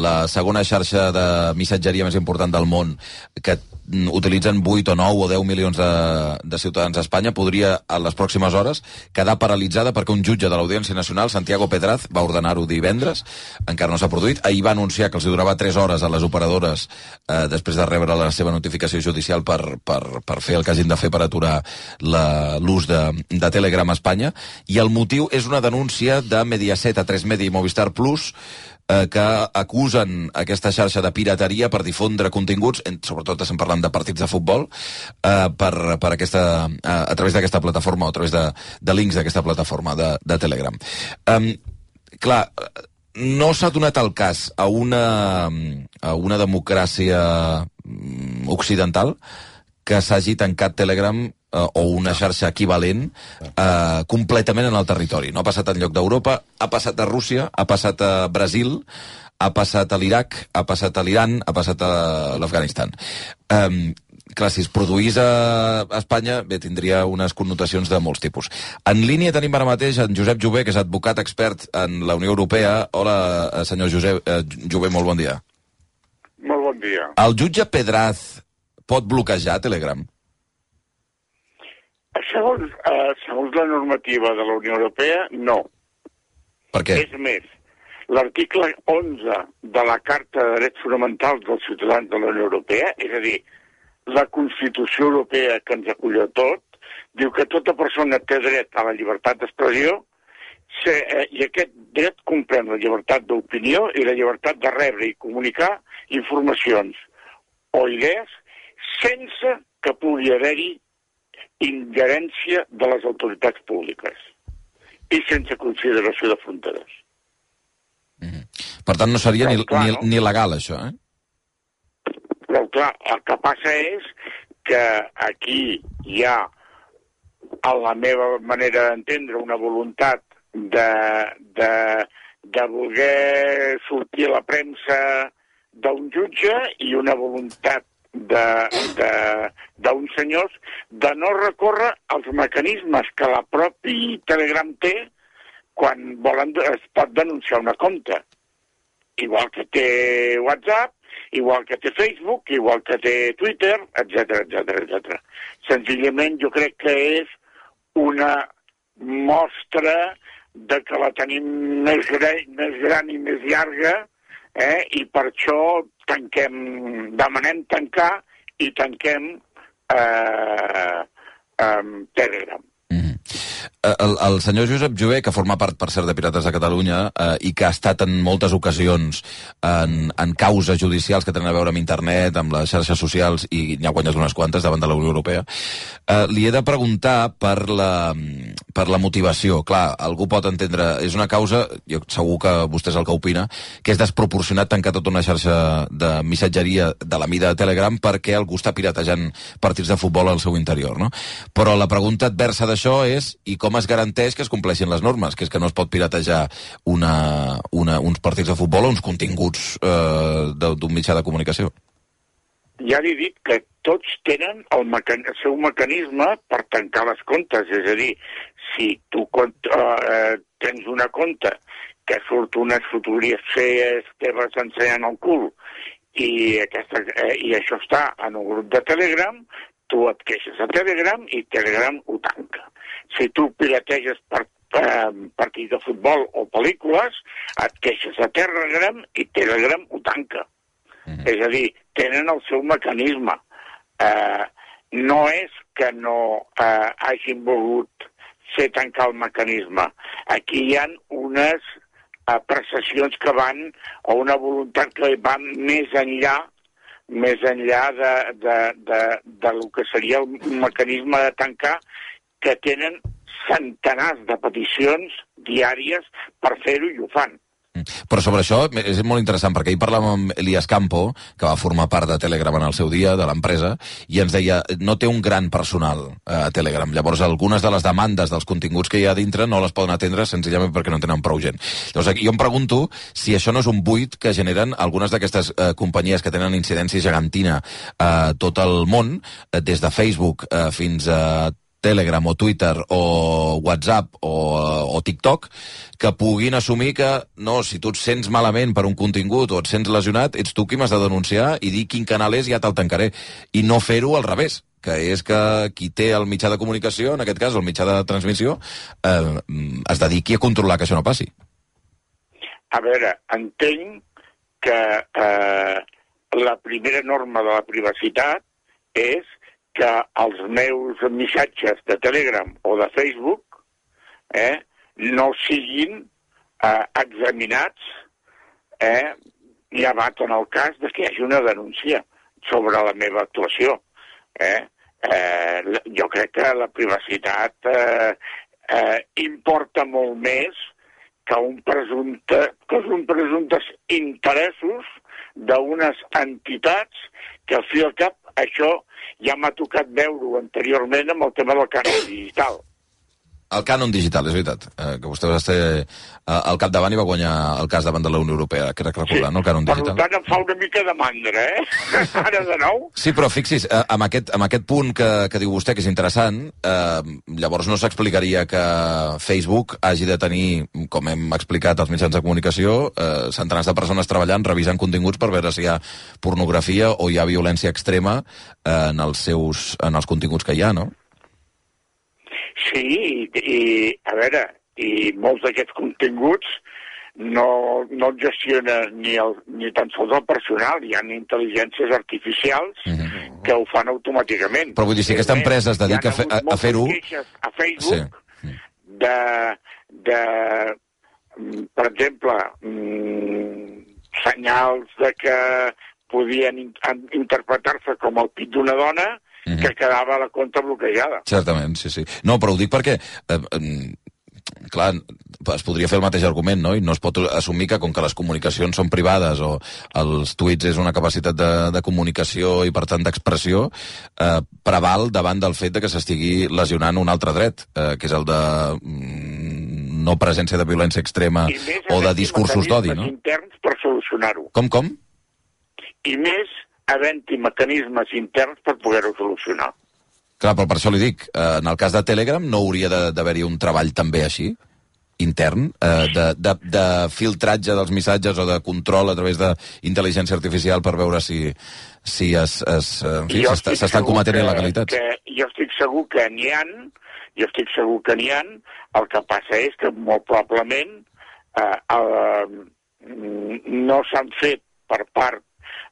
La segona xarxa de missatgeria més important del món, que utilitzen 8 o 9 o 10 milions de ciutadans a Espanya, podria, a les pròximes hores, quedar paralitzada perquè un jutge de l'Audiència Nacional, Santiago Pedraz, va ordenar-ho divendres, encara no s'ha produït. Ahir va anunciar que els durava 3 hores a les operadores després de rebre la seva notificació judicial per fer el que hagin de fer per aturar l'ús de Telegram a Espanya, i el motiu és una denúncia de Mediaset, A3 Media i Movistar Plus, que acusen aquesta xarxa de pirateria per difondre continguts, sobretot estem parlant de partits de futbol, a través d'aquesta plataforma o a través de links d'aquesta plataforma de Telegram. Clar, no s'ha donat el cas a una democràcia occidental que s'hagi tancat Telegram o una xarxa equivalent completament en el territori. No ha passat enlloc d'Europa, ha passat a Rússia, ha passat a Brasil, ha passat a l'Iraq, ha passat a l'Iran, ha passat a l'Afganistan. Clar, si es produís a Espanya, bé, tindria unes connotacions de molts tipus. En línia tenim ara mateix en Josep Jové, que és advocat expert en la Unió Europea. Hola, senyor Jové, molt bon dia. Molt bon dia. El jutge Pedraz pot bloquejar Telegram? Segons la normativa de la Unió Europea, no. Per què? És més, l'article 11 de la Carta de Drets Fonamentals dels Ciutadans de la Unió Europea, és a dir, la Constitució Europea que ens acull a tot, diu que tota persona té dret a la llibertat d'expressió i aquest dret comprèn la llibertat d'opinió i la llibertat de rebre i comunicar informacions o idees sense que pugui haver-hi ingerència de les autoritats públiques i sense consideració de fronteres. Per tant, no seria ni legal, això, Però, clar, el que passa és que aquí hi ha, a la meva manera d'entendre, una voluntat de voler sortir a la premsa d'un jutge i una voluntat d'uns senyors de no recórrer als mecanismes que la propi Telegram té quan es pot denunciar una compte. Igual que té WhatsApp, igual que té Facebook, igual que té Twitter, etc. Senzillament jo crec que és una mostra de que la tenim més gran i més llarga, i per això demanem tancar i tanquem Telegram. El senyor Josep Jover, que forma part, per cert, de Pirates de Catalunya i que ha estat en moltes ocasions en causes judicials que tenen a veure amb internet, amb les xarxes socials, i n'ha guanyat unes quantes davant de la Unió Europea, li he de preguntar per la motivació. Clar, algú pot entendre, és una causa, jo segur que vostè és el que opina, que és desproporcionat tancar tota una xarxa de missatgeria de la mida de Telegram perquè algú està piratejant partits de futbol al seu interior, no? Però la pregunta adversa d'això és i com es garanteix que es compleixin les normes, que és que no es pot piratejar uns partits de futbol o uns continguts d'un mitjà de comunicació. Ja li dic que tots tenen el seu mecanisme per tancar les comptes, és a dir, si tu tens una compte que surt unes fotografies teves ensenyant el cul i això està en un grup de Telegram, tu et queixes a Telegram i Telegram ho tanca. Si tu pirateges partits de futbol o pel·lícules, et queixes a Telegram i Telegram ho tanca. És a dir, tenen el seu mecanisme. No és que no hagin volgut fer tancar el mecanisme. Aquí hi ha unes apreciacions que van, o una voluntat que va més enllà del que seria el mecanisme de tancar, que tenen centenars de peticions diàries per fer-ho i ho fan. Però sobre això és molt interessant, perquè ahir parlàvem amb Elias Campo, que va formar part de Telegram en el seu dia, de l'empresa, i ens deia, no té un gran personal a Telegram. Llavors, algunes de les demandes dels continguts que hi ha dintre no les poden atendre senzillament perquè no tenen prou gent. Llavors, jo em pregunto si això no és un buit que generen algunes d'aquestes companyies que tenen incidència gegantina a tot el món, des de Facebook fins a Telegram o Twitter o WhatsApp o TikTok, que puguin assumir que no, si tu et sents malament per un contingut o et sents lesionat, ets tu qui m'has de denunciar i dir quin canal és i ja te'l tancaré. I no fer-ho al revés, que és que qui té el mitjà de comunicació, en aquest cas el mitjà de transmissió, es dediqui a controlar que això no passi. A veure, entenc que la primera norma de la privacitat és que els meus missatges de Telegram o de Facebook no siguin examinats llevat en el cas de que hi hagi una denúncia sobre la meva actuació. Jo crec que la privacitat importa molt més que uns presumptes interessos d'unes entitats que al fi i al cap això ja m'ha tocat veure-ho anteriorment amb el tema del cànon digital. El cànon digital, és veritat, que vostè va estar al capdavant i va guanyar el cas davant de la Unió Europea, crec recordar, no? El cànon digital. Per tant, em fa una mica de mandra, Ara de nou. Sí, però fixi's, amb aquest punt que diu vostè, que és interessant, llavors no s'explicaria que Facebook hagi de tenir, com hem explicat als mitjans de comunicació, centenars de persones treballant, revisant continguts per veure si hi ha pornografia o hi ha violència extrema en els continguts que hi ha, no? Sí, a veure, i molts d'aquests continguts no els gestiona ni tan sols el personal, hi ha intel·ligències artificials que ho fan automàticament. Però vull dir, si aquesta empresa es dedica a fer-ho... A Facebook per exemple, senyals de que podien interpretar-se com el pit d'una dona que quedava la compta bloquejada. Certament, sí. No, però ho dic perquè, clar, es podria fer el mateix argument, no? I no es pot assumir que com que les comunicacions són privades o els tuits és una capacitat de comunicació i, per tant, d'expressió, preval davant del fet de que s'estigui lesionant un altre dret, que és el de no presència de violència extrema o de discursos d'odi, no? I més interns per solucionar-ho. Com? I més havent-hi mecanismes interns per poder-ho solucionar. Clar, però per això li dic, en el cas de Telegram no hauria d'haver-hi un treball també així, intern, de filtratge dels missatges o de control a través d'intel·ligència artificial per veure si s'estan cometent il·legalitats. Jo estic segur que n'hi ha, el que passa és que molt probablement no s'han fet per part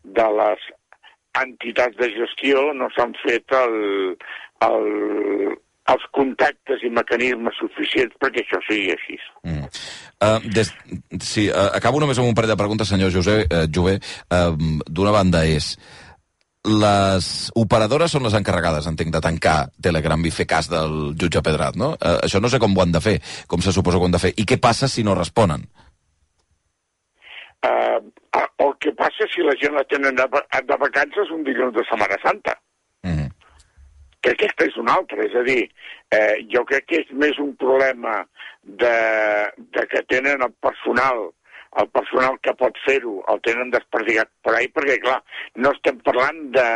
de les entitats de gestió, no s'han fet els contactes i mecanismes suficients perquè això sigui així. Sí, acabo només amb un parell de preguntes, senyor Jové. D'una banda és, les operadores són les encarregades, entenc, de tancar Telegram i fer cas del jutge Pedrat, no? Això no sé com ho han de fer, com se suposa que ho han de fer. I què passa si no responen? El que passa si la gent la tenen de vacances un dilluns de Setmana Santa. Que aquesta és una altra, és a dir, jo crec que és més un problema de que tenen el personal que pot fer-ho, el tenen desperdigat per ahí, perquè, clar, no estem parlant de,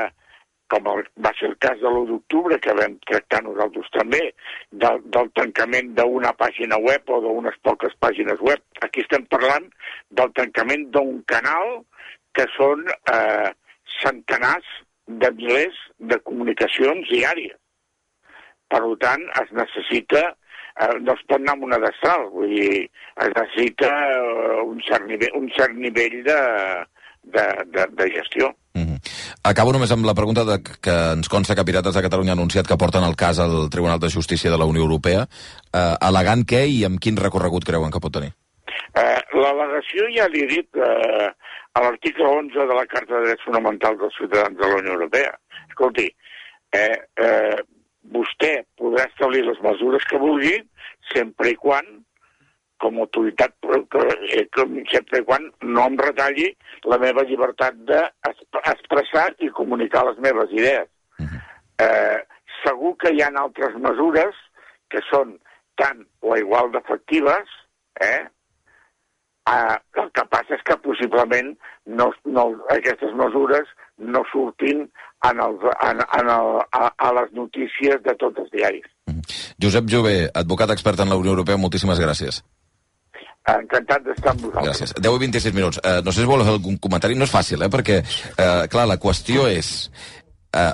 com va ser el cas de l'1 d'octubre, que vam tractar nosaltres també, del tancament d'una pàgina web o d'unes poques pàgines web. Aquí estem parlant del tancament d'un canal que són centenars de milers de comunicacions diàries. Per tant, es necessita, no es pot anar amb una destral, vull dir, es necessita un cert nivell de gestió. Acabo només amb la pregunta que ens consta que Pirates de Catalunya ha anunciat que porten el cas al Tribunal de Justícia de la Unió Europea, al·legant què i amb quin recorregut creuen que pot tenir? L'al·legació ja l'he dit a l'article 11 de la Carta de Drets Fonamentals dels Ciutadans de la Unió Europea. Escolti, vostè podrà establir les mesures que vulgui sempre i quan, com a autoritat, sempre i quan no em retalli la meva llibertat d'expressar i comunicar les meves idees. Segur que hi ha altres mesures que són tan o igual d'efectives, el que passa és que possiblement aquestes mesures no surtin a les notícies de tots els diaris. Josep Jové, advocat expert en la Unió Europea, moltíssimes gràcies. Encantat d'estar amb vosaltres. Gràcies. 10 i 26 minuts. No sé si vol fer algun comentari, no és fàcil, perquè, clar, la qüestió és...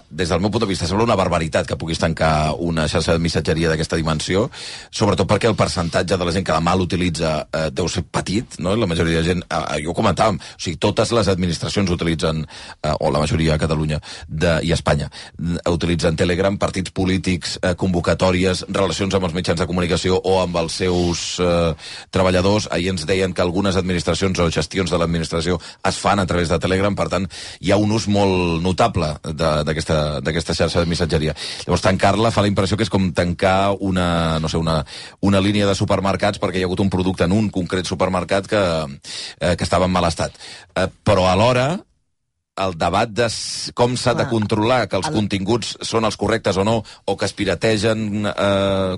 des del meu punt de vista, sembla una barbaritat que puguis tancar una xarxa de missatgeria d'aquesta dimensió, sobretot perquè el percentatge de la gent que demà l'utilitza deu ser petit, no? La majoria de gent, jo ho comentàvem, o sigui, totes les administracions utilitzen, o la majoria a Catalunya i a Espanya, utilitzen Telegram, partits polítics, convocatòries, relacions amb els mitjans de comunicació o amb els seus treballadors. Ahir ens deien que algunes administracions o gestions de l'administració es fan a través de Telegram, per tant, hi ha un ús molt notable d'aquesta xarxa de missatgeria. Llavors, tancar-la fa la impressió que és com tancar una línia de supermercats perquè hi ha hagut un producte en un concret supermercat que estava en mal estat. Però alhora, el debat de com s'ha de controlar que els continguts són els correctes o no, o que es pirategen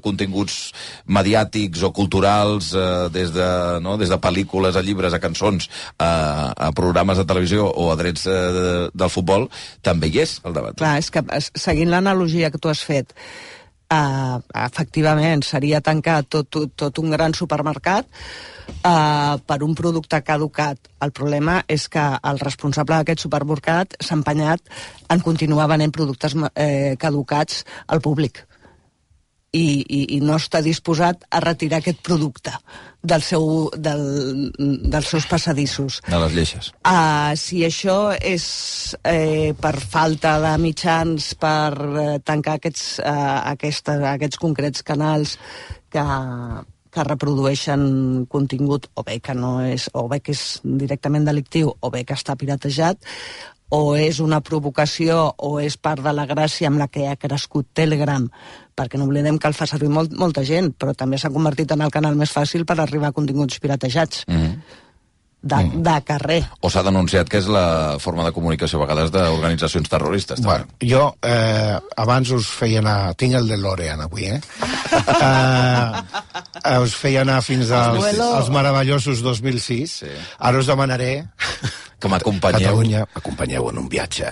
continguts mediàtics o culturals des de pel·lícules a llibres, a cançons, a programes de televisió o a drets del futbol, també hi és el debat. Clar, és que seguint l'analogia que tu has fet, efectivament seria tancar tot un gran supermercat per un producte caducat. El problema és que el responsable d'aquest supermercat s'ha empenyat en continuar venent productes caducats al públic i no està disposat a retirar aquest producte dels seus passadissos. De les lleixes. Si això és per falta de mitjans per tancar aquests concrets canals que reprodueixen contingut o bé que no és, o bé que és directament delictiu o bé que està piratejat, o és una provocació o és part de la gràcia amb la que ha crescut Telegram, perquè no oblidem que el fa servir molta gent, però també s'ha convertit en el canal més fàcil per arribar a continguts piratejats. De carrer. O s'ha denunciat que és la forma de comunicació a vegades d'organitzacions terroristes. Bueno, jo abans us feia anar... Tinc el de L'Orean avui, us feia anar fins als meravellosos 2006. Ara us demanaré... Que m'acompanyeu. Catalunya, m'acompanyeu en un viatge.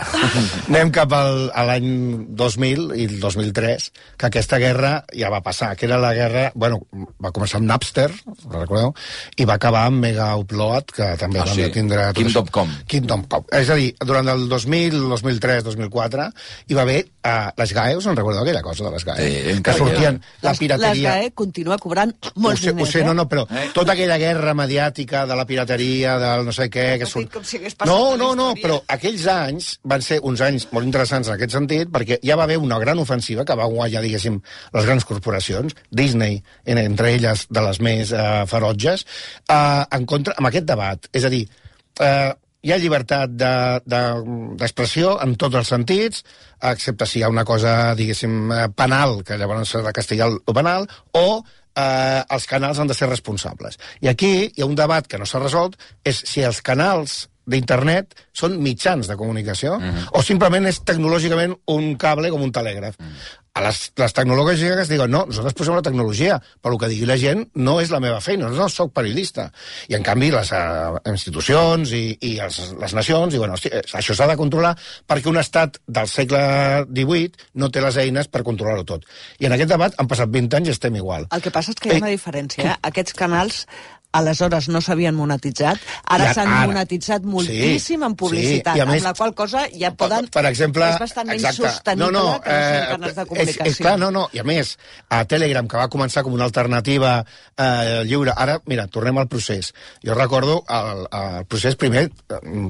Anem cap a l'any 2000 i el 2003, que aquesta guerra ja va passar, que era la guerra... Bueno, va començar amb Napster, recordeu? I va acabar amb Mega Upload, que també vam tindre... Kingdom.com. Kingdom.com. És a dir, durant el 2000, 2003, 2004, hi va haver les GAE, us en recordeu aquella cosa de les GAE? Que sortien la pirateria... Les GAE continua cobrant molts diners, Ho sé, no, però tota aquella guerra mediàtica de la pirateria, del no sé què... No, però aquells anys van ser uns anys molt interessants en aquest sentit, perquè ja va haver una gran ofensiva que va guanyar, diguéssim, les grans corporacions, Disney, entre elles de les més ferotges, en contra, amb aquest debat. És a dir, hi ha llibertat d'expressió en tots els sentits, excepte si hi ha una cosa, diguéssim, penal, que llavors s'ha de castigar el penal, o els canals han de ser responsables. I aquí hi ha un debat que no s'ha resolt, és si els canals d'internet són mitjans de comunicació o simplement és tecnològicament un cable com un telègraf. A les tecnològiques diuen, no, nosaltres posem la tecnologia, però el que digui la gent no és la meva feina, no soc periodista. I en canvi les institucions i les nacions diuen, hosti, això s'ha de controlar perquè un estat del segle XVIII no té les eines per controlar-ho tot. I en aquest debat han passat 20 anys i estem igual. El que passa és que hi ha una diferència. Aquests canals aleshores no s'havien monetitzat, ara s'han monetitzat moltíssim en publicitat, amb la qual cosa ja poden... Per exemple... És bastant menys sostenible que no siguin canals de comunicació. I a més, a Telegram, que va començar com una alternativa lliure, ara, mira, tornem al procés. Jo recordo el procés primer,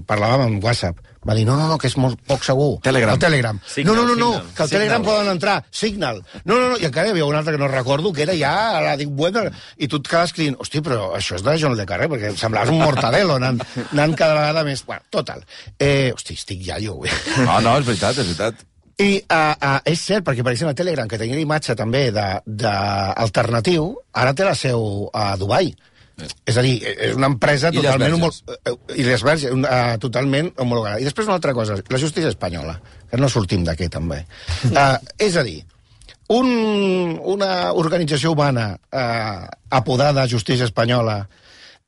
parlàvem amb WhatsApp, va dir, no, que és molt poc segur. Telegram. El Telegram. Signal, no, que el Telegram poden entrar. Signal. No, i encara hi havia un altre que no recordo, que era ja a la Deep Web, i tu et quedes cridint, hosti, però això és de Joan Le Carré, perquè em semblaves un mortadelo, anant cada vegada més... Bueno, total. Hosti, estic ja jo. No, és veritat. I és cert, perquè per exemple Telegram, que tenia l'imatge també d'alternatiu, ara té la seu a Dubai. És a dir, és una empresa totalment homologada. I després una altra cosa, la justícia espanyola, que no sortim d'aquí també. És a dir, una organització humana apodada Justícia Espanyola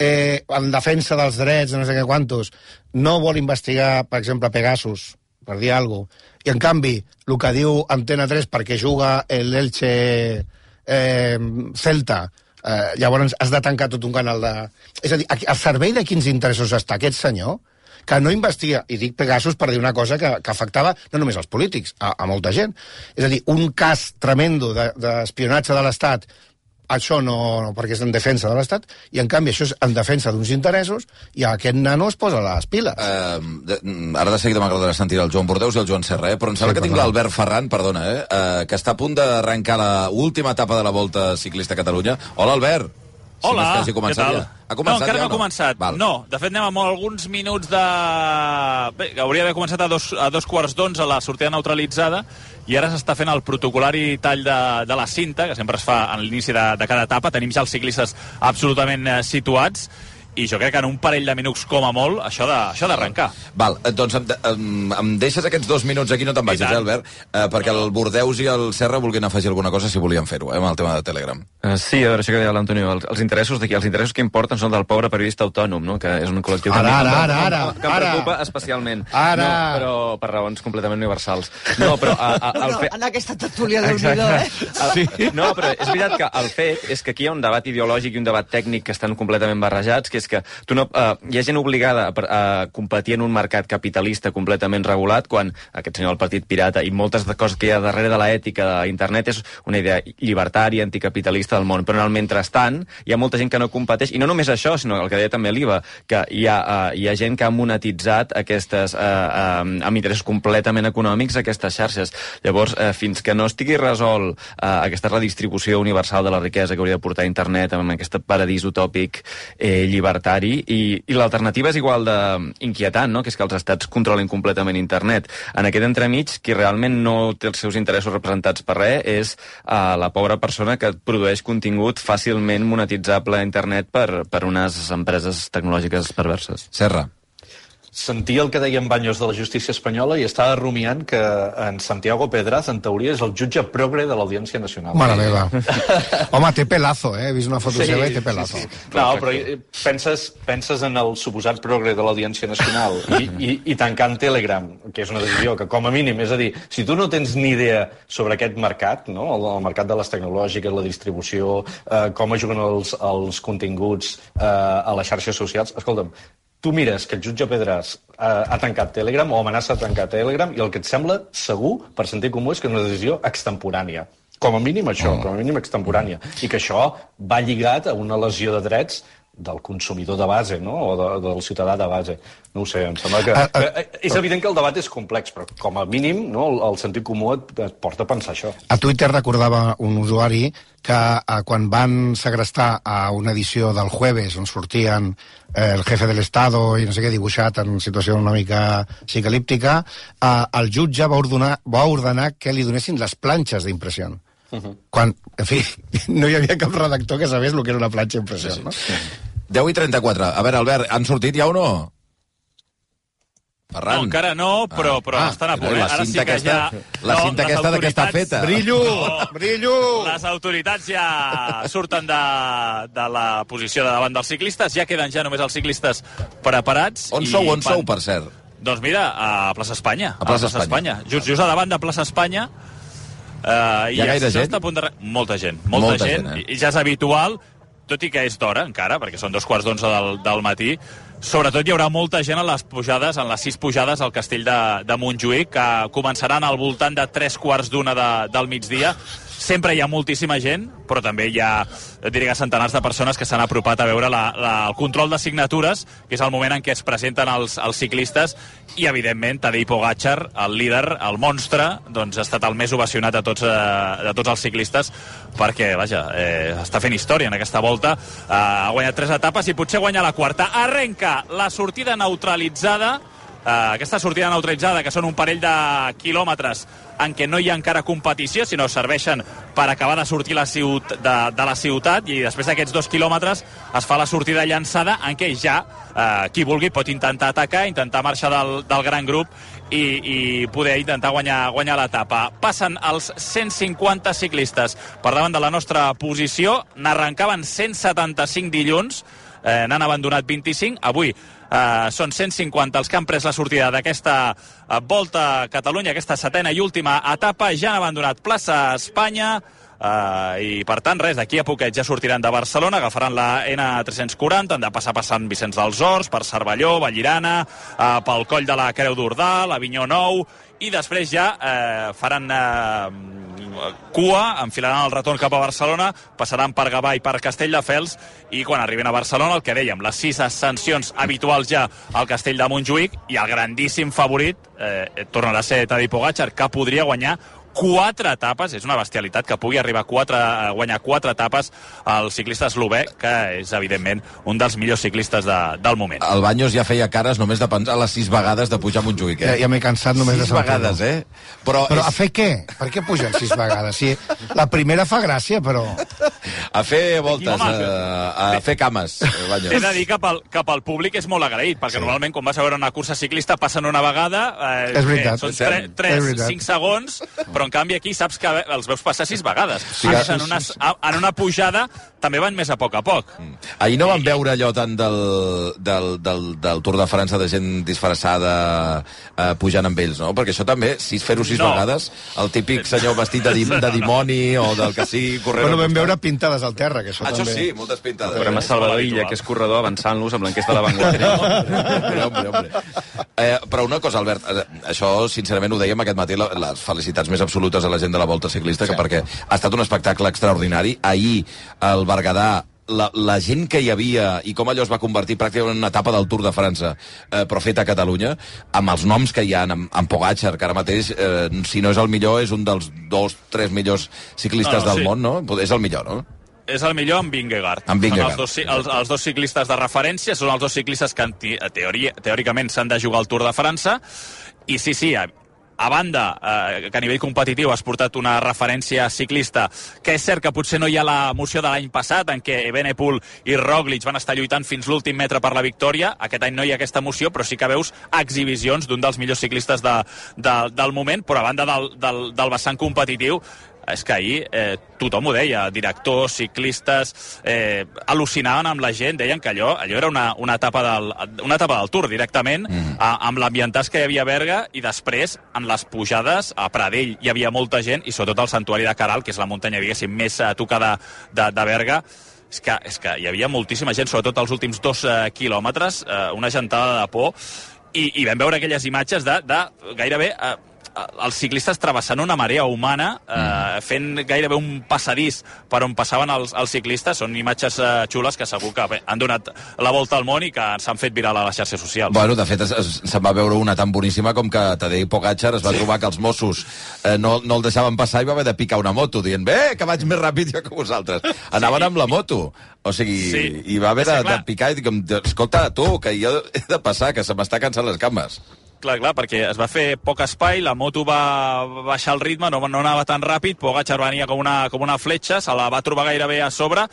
en defensa dels drets de no sé què quantos no vol investigar, per exemple, Pegasus, per dir alguna cosa, i en canvi el que diu Antena 3 perquè juga l'Elche Celta, llavors has de tancar tot un canal de... És a dir, al servei de quins interessos està aquest senyor que no investiga, i dic Pegasus per dir una cosa que afectava no només als polítics, a molta gent. És a dir, un cas tremendo d'espionatge de l'Estat, això no, perquè és en defensa de l'Estat, i en canvi això és en defensa d'uns interessos, i aquest nano es posa les piles. Ara de seguida m'agradarà sentir el Joan Bordeus i el Joan Serra, però em sembla que tinc l'Albert Ferran, perdona, que està a punt d'arrencar l'última etapa de la Volta Ciclista a Catalunya. Hola, Albert. Hola, què tal? No, encara no ha començat. No, de fet anem amb alguns minuts de... Bé, hauria d'haver començat a dos quarts d'11 la sortida neutralitzada, i ara s'està fent el protocolari tall de la cinta, que sempre es fa a l'inici de cada etapa. Tenim ja els ciclistes absolutament situats, i jo crec que en un parell de minuts com a molt això d'arrencar. Val, doncs em deixes aquests 2 minuts aquí, no te'n vagis, Albert, perquè el Bordeus i el Serra vulguin afegir alguna cosa si volien fer-ho, amb el tema de Telegram. Sí, a veure, això que deia l'Antonio, els interessos d'aquí, els interessos que importen són del pobre periodista autònom, no? Que és un col·lectiu que em preocupa especialment. Ara! No, però per raons completament universals. No, però... En aquesta tertúlia del Nidó, Sí. No, però és veritat que el fet és que aquí hi ha un debat ideològic i un debat tècnic que estan completament barrejats, que és que hi ha gent obligada a competir en un mercat capitalista completament regulat, quan aquest senyor del Partit Pirata i moltes de coses que hi ha darrere de l'ètica d'internet és una idea llibertària, anticapitalista del món, però en el mentrestant hi ha molta gent que no competeix, i no només això, sinó el que deia també l'Iva, que hi ha gent que ha monetitzat aquestes amb interessos completament econòmics aquestes xarxes. Llavors, fins que no estigui resolt aquesta redistribució universal de la riquesa que hauria de portar internet amb aquest paradís utòpic llibertari, llibertari, i l'alternativa és igual d'inquietant, no? Que és que els estats controlin completament internet. En aquest entremig, qui realment no té els seus interessos representats per res és la pobra persona que produeix contingut fàcilment monetitzable a internet per unes empreses tecnològiques perverses. Serra. Sentia el que deia en Baños de la justícia espanyola i estava rumiant que en Santiago Pedraz, en teoria, és el jutge progre de l'Audiència Nacional. Mare meva. Home, té pelazo, He vist una foto seva i té pelazo. Sí. No, però penses en el suposat progre de l'Audiència Nacional i tancant Telegram, que és una decisió que, com a mínim, és a dir, si tu no tens ni idea sobre aquest mercat, no? El mercat de les tecnològiques, la distribució, com es juguen els continguts a les xarxes socials, escolta'm, tu mires que el jutge Pedraz ha tancat Telegram o amenaça de tancar Telegram i el que et sembla segur, per sentit comú, és que és una decisió extemporània. Com a mínim això, com a mínim extemporània. I que això va lligat a una lesió de drets del consumidor de base, no? O del ciutadà de base. No ho sé, em sembla que... És evident que el debat és complex, però com a mínim el sentit comú et porta a pensar això. A Twitter recordava un usuari que quan van segrestar a una edició del Jueves on sortien el jefe de l'Estado i no sé què dibuixat en situació una mica psicalíptica, el jutge va ordenar que li donessin les planxes d'impressió. Quan, en fi, no hi havia cap redactor que sabés el que era una planxa d'impressió, no? 10:34. A veure, Albert, han sortit ja o no? Ferran. No, encara no, però estan a punt. Ara sí que ja... La cinta aquesta de què està feta. Brillo! Brillo! Les autoritats ja surten de la posició de davant dels ciclistes, ja queden ja només els ciclistes preparats. On sou, per cert? Doncs mira, a Plaça Espanya. A Plaça Espanya. Just a davant de Plaça Espanya. Hi ha gaire gent? Molta gent. I ja és habitual, tot i que és d'hora encara, perquè són 11:15 del matí. Sobretot hi haurà molta gent a les pujades, en les 6 pujades al castell de Montjuïc, que començaran al voltant de 3:15 del migdia. Sempre hi ha moltíssima gent, però també hi ha, diria, centenars de persones que s'han apropat a veure el control de signatures, que és el moment en què es presenten els ciclistes, i, evidentment, Tadej Pogačar, el líder, el monstre, doncs ha estat el més ovacionat de tots els ciclistes, perquè, vaja, està fent història en aquesta volta. Ha guanyat 3 etapes i potser guanya la quarta. Arrenca la sortida neutralitzada, aquesta sortida neutralitzada, que són un parell de quilòmetres en què no hi ha encara competició, sinó serveixen per acabar de sortir de la ciutat, i després d'aquests 2 quilòmetres es fa la sortida llançada, en què ja qui vulgui pot intentar atacar, intentar marxar del gran grup i poder intentar guanyar l'etapa. Passen els 150 ciclistes per davant de la nostra posició. N'arrencaven 175 dilluns, n'han abandonat 25. Avui són 150 els que han pres la sortida d'aquesta Volta a Catalunya, aquesta 7a i última etapa. Ja han abandonat Plaça Espanya, i per tant res, d'aquí a poquet ja sortiran de Barcelona, agafaran la N340, han de passar per Sant Vicenç dels Horts, per Cervelló, Vallirana, pel Coll de la Creu d'Ordal, Avinyó Nou, i després ja faran cua, enfilaran el retorn cap a Barcelona, passaran per Gavà i per Castelldefels, i quan arriben a Barcelona, el que dèiem, les 6 ascensions habituals ja al Castell de Montjuïc, i el grandíssim favorit tornarà a ser Tadej Pogačar, que podria guanyar 4 etapes, és una bestialitat que pugui arribar a guanyar 4 etapes al ciclista eslovè, que és, evidentment, un dels millors ciclistes del moment. El Baños ja feia cares només de pensar les 6 vegades de pujar a Montjuïc, Ja m'he cansat només de 6 vegades, Però a fer què? Per què pugen 6 vegades? Sí, la primera fa gràcia, però... A fer voltes, a fer cames, Baños. He de dir que pel públic és molt agraït, perquè normalment quan vas a veure una cursa ciclista passen una vegada, és veritat, són 3-5 segons, però en canvi aquí saps que els veus passar 6 vegades. En una pujada també van més a poc. Ahir no vam veure allò tant del Tour de França de gent disfressada pujant amb ells, no? Perquè això també, fer-ho 6 vegades, el típic senyor vestit de dimoni o del que sigui... Bueno, vam veure pintades al terra, que això també... Això sí, moltes pintades. Veurem a Salvador Illa, que és corredor, avançant-los amb l'enquesta de la Vanguardia. Hombre. Però una cosa, Albert, això sincerament ho dèiem aquest matí, les felicitats més absolutes a la gent de la Volta Ciclista, perquè ha estat un espectacle extraordinari. Ahir, al Berguedà, la gent que hi havia i com allò es va convertir pràcticament en una etapa del Tour de França, però feta a Catalunya, amb els noms que hi ha, amb Pogačar, que ara mateix, si no és el millor, és un dels 2-3 millors ciclistes del món, no? És el millor, no? és el millor amb Vingegaard. Són els dos ciclistes de referència, són els dos ciclistes que teòricament s'han de jugar al Tour de França, i sí, a banda, que a nivell competitiu has portat una referència ciclista, que és cert que potser no hi ha l'emoció de l'any passat, en què Evenepoel i Roglic van estar lluitant fins l'últim metre per la victòria. Aquest any no hi ha aquesta emoció, però sí que veus exhibicions d'un dels millors ciclistes del moment, però a banda del vessant competitiu, és que ahir tothom ho deia, directors, ciclistes, al·lucinaven amb la gent, deien que allò era una etapa del Tour directament, amb l'ambientàs que hi havia a Berga, i després, en les pujades, a Pradell hi havia molta gent, i sobretot al Santuari de Caral, que és la muntanya, diguéssim, més tocada de Berga. És que hi havia moltíssima gent, sobretot els últims 2 quilòmetres, una gentada de por, i vam veure aquelles imatges de gairebé els ciclistes travessant una marea humana, fent gairebé un passadís per on passaven els ciclistes. Són imatges xules que segur que han donat la volta al món i que s'han fet viral a les xarxes socials. Bueno, de fet, se'n va veure una tan boníssima com que Tadej Pogačar es va trobar que els Mossos no el deixaven passar i va haver de picar una moto, dient, que vaig més ràpid jo que vosaltres. Anaven amb la moto. O sigui, i va haver de picar i dir, escolta, tu, que jo he de passar, que se m'està cansant les cames. Clar, perquè es va fer poc espai, la moto va baixar el ritme, no anava tan ràpid, Pogačar venia com una fletxa, se la va trobar gairebé a sobre,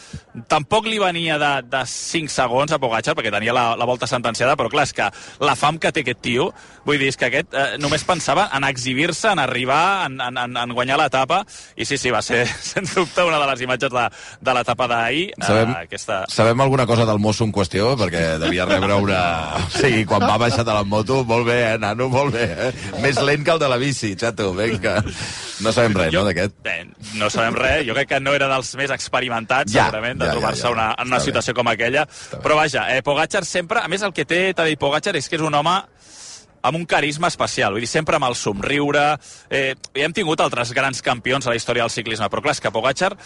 tampoc li venia de 5 segons a Pogačar, perquè tenia la volta sentenciada, però clar, és que la fam que té aquest tio, vull dir, és que aquest només pensava en exhibir-se, en arribar, en guanyar l'etapa, i sí, va ser, sens dubte, una de les imatges de l'etapa d'ahir. Sabem alguna cosa del mosso en qüestió? Perquè devia rebre una... O sigui, quan va baixar de la moto, molt bé, nano, molt bé, Més lent que el de la bici, xato, vinga. No sabem res, no, d'aquest? No sabem res, jo crec que no era dels més experimentats, segurament, de trobar-se en una situació com aquella. Però vaja, Pogačar sempre... A més, el que té Tadej Pogačar és que és un home amb un carisma especial, vull dir, sempre amb el somriure. Ja hem tingut altres grans campions a la història del ciclisme, però clar, és que Pogačar...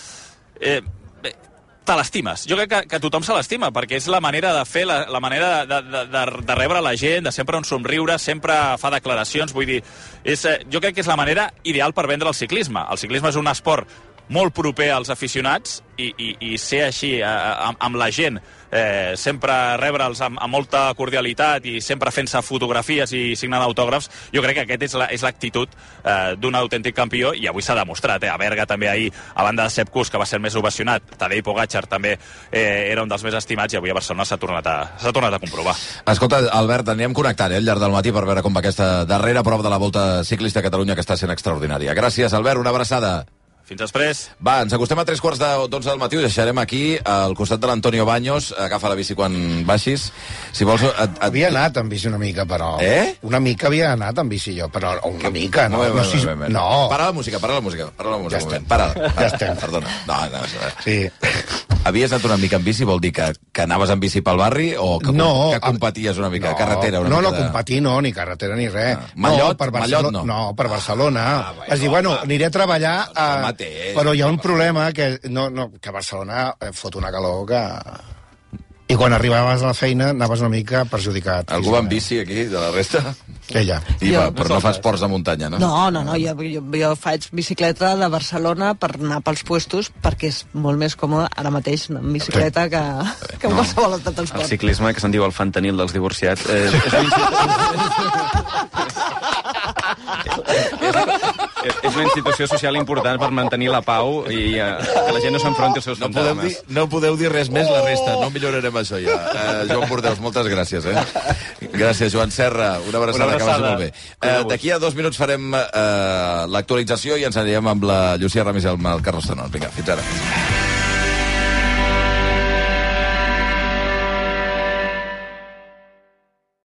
te l'estimes. Jo crec que tothom se l'estima, perquè és la manera de fer, la manera de rebre la gent, de sempre un somriure, sempre fa declaracions, vull dir, jo crec que és la manera ideal per vendre el ciclisme. El ciclisme és un esport molt proper als aficionats i ser així amb la gent, sempre rebre'ls amb molta cordialitat i sempre fent-se fotografies i signant autògrafs, jo crec que aquest és l'actitud d'un autèntic campió, i avui s'ha demostrat. A Berga també ahir, a banda de Sepp Kuss, que va ser el més ovacionat, Tadej Pogačar també era un dels més estimats, i avui a Barcelona s'ha tornat a comprovar. Escolta, Albert, anirem connectant al llarg del matí per veure com va aquesta darrera prova de la Volta Ciclista a Catalunya, que està sent extraordinària. Gràcies, Albert, una abraçada. Fins després. Va, ens acostem a 3:45 del matí, ho deixarem aquí, al costat de l'Antonio Baños. Agafa la bici quan baixis. Si vols... Havia anat amb bici una mica, però... Una mica havia anat amb bici jo, però una mica, no? No. Para la música. Ja estem. Ja estem. Perdona. No. Sí. Havies anat una mica amb bici, vol dir que anaves amb bici pel barri o que competies una mica? Carretera? No, competir no, ni carretera ni res. Mallot no? No, per Barcelona. Es diu, bueno, aniré a treballar però hi ha un problema que a Barcelona fot una calor que... I quan arribaves a la feina anaves una mica perjudicat. Algú va amb bici aquí, de la resta? Què hi ha? Però no fa esports de muntanya, no? No, jo faig bicicleta de Barcelona per anar pels puestos, perquè és molt més còmode ara mateix anar amb bicicleta que en qualsevol altre transport. El ciclisme, que se'n diu el fentanil dels divorciats, és una institució social important per mantenir la pau i que la gent no s'enfronti als seus fantasmes. No podeu dir res més la resta, no millorarem això ja. Joan Bordeus, moltes gràcies, Gràcies, Joan Serra, una abraçada, que vagi molt bé. D'aquí a 2 minuts farem l'actualització i ens anirem amb la Llucia Ramis i el Carlos Tanón. Vinga, fins ara.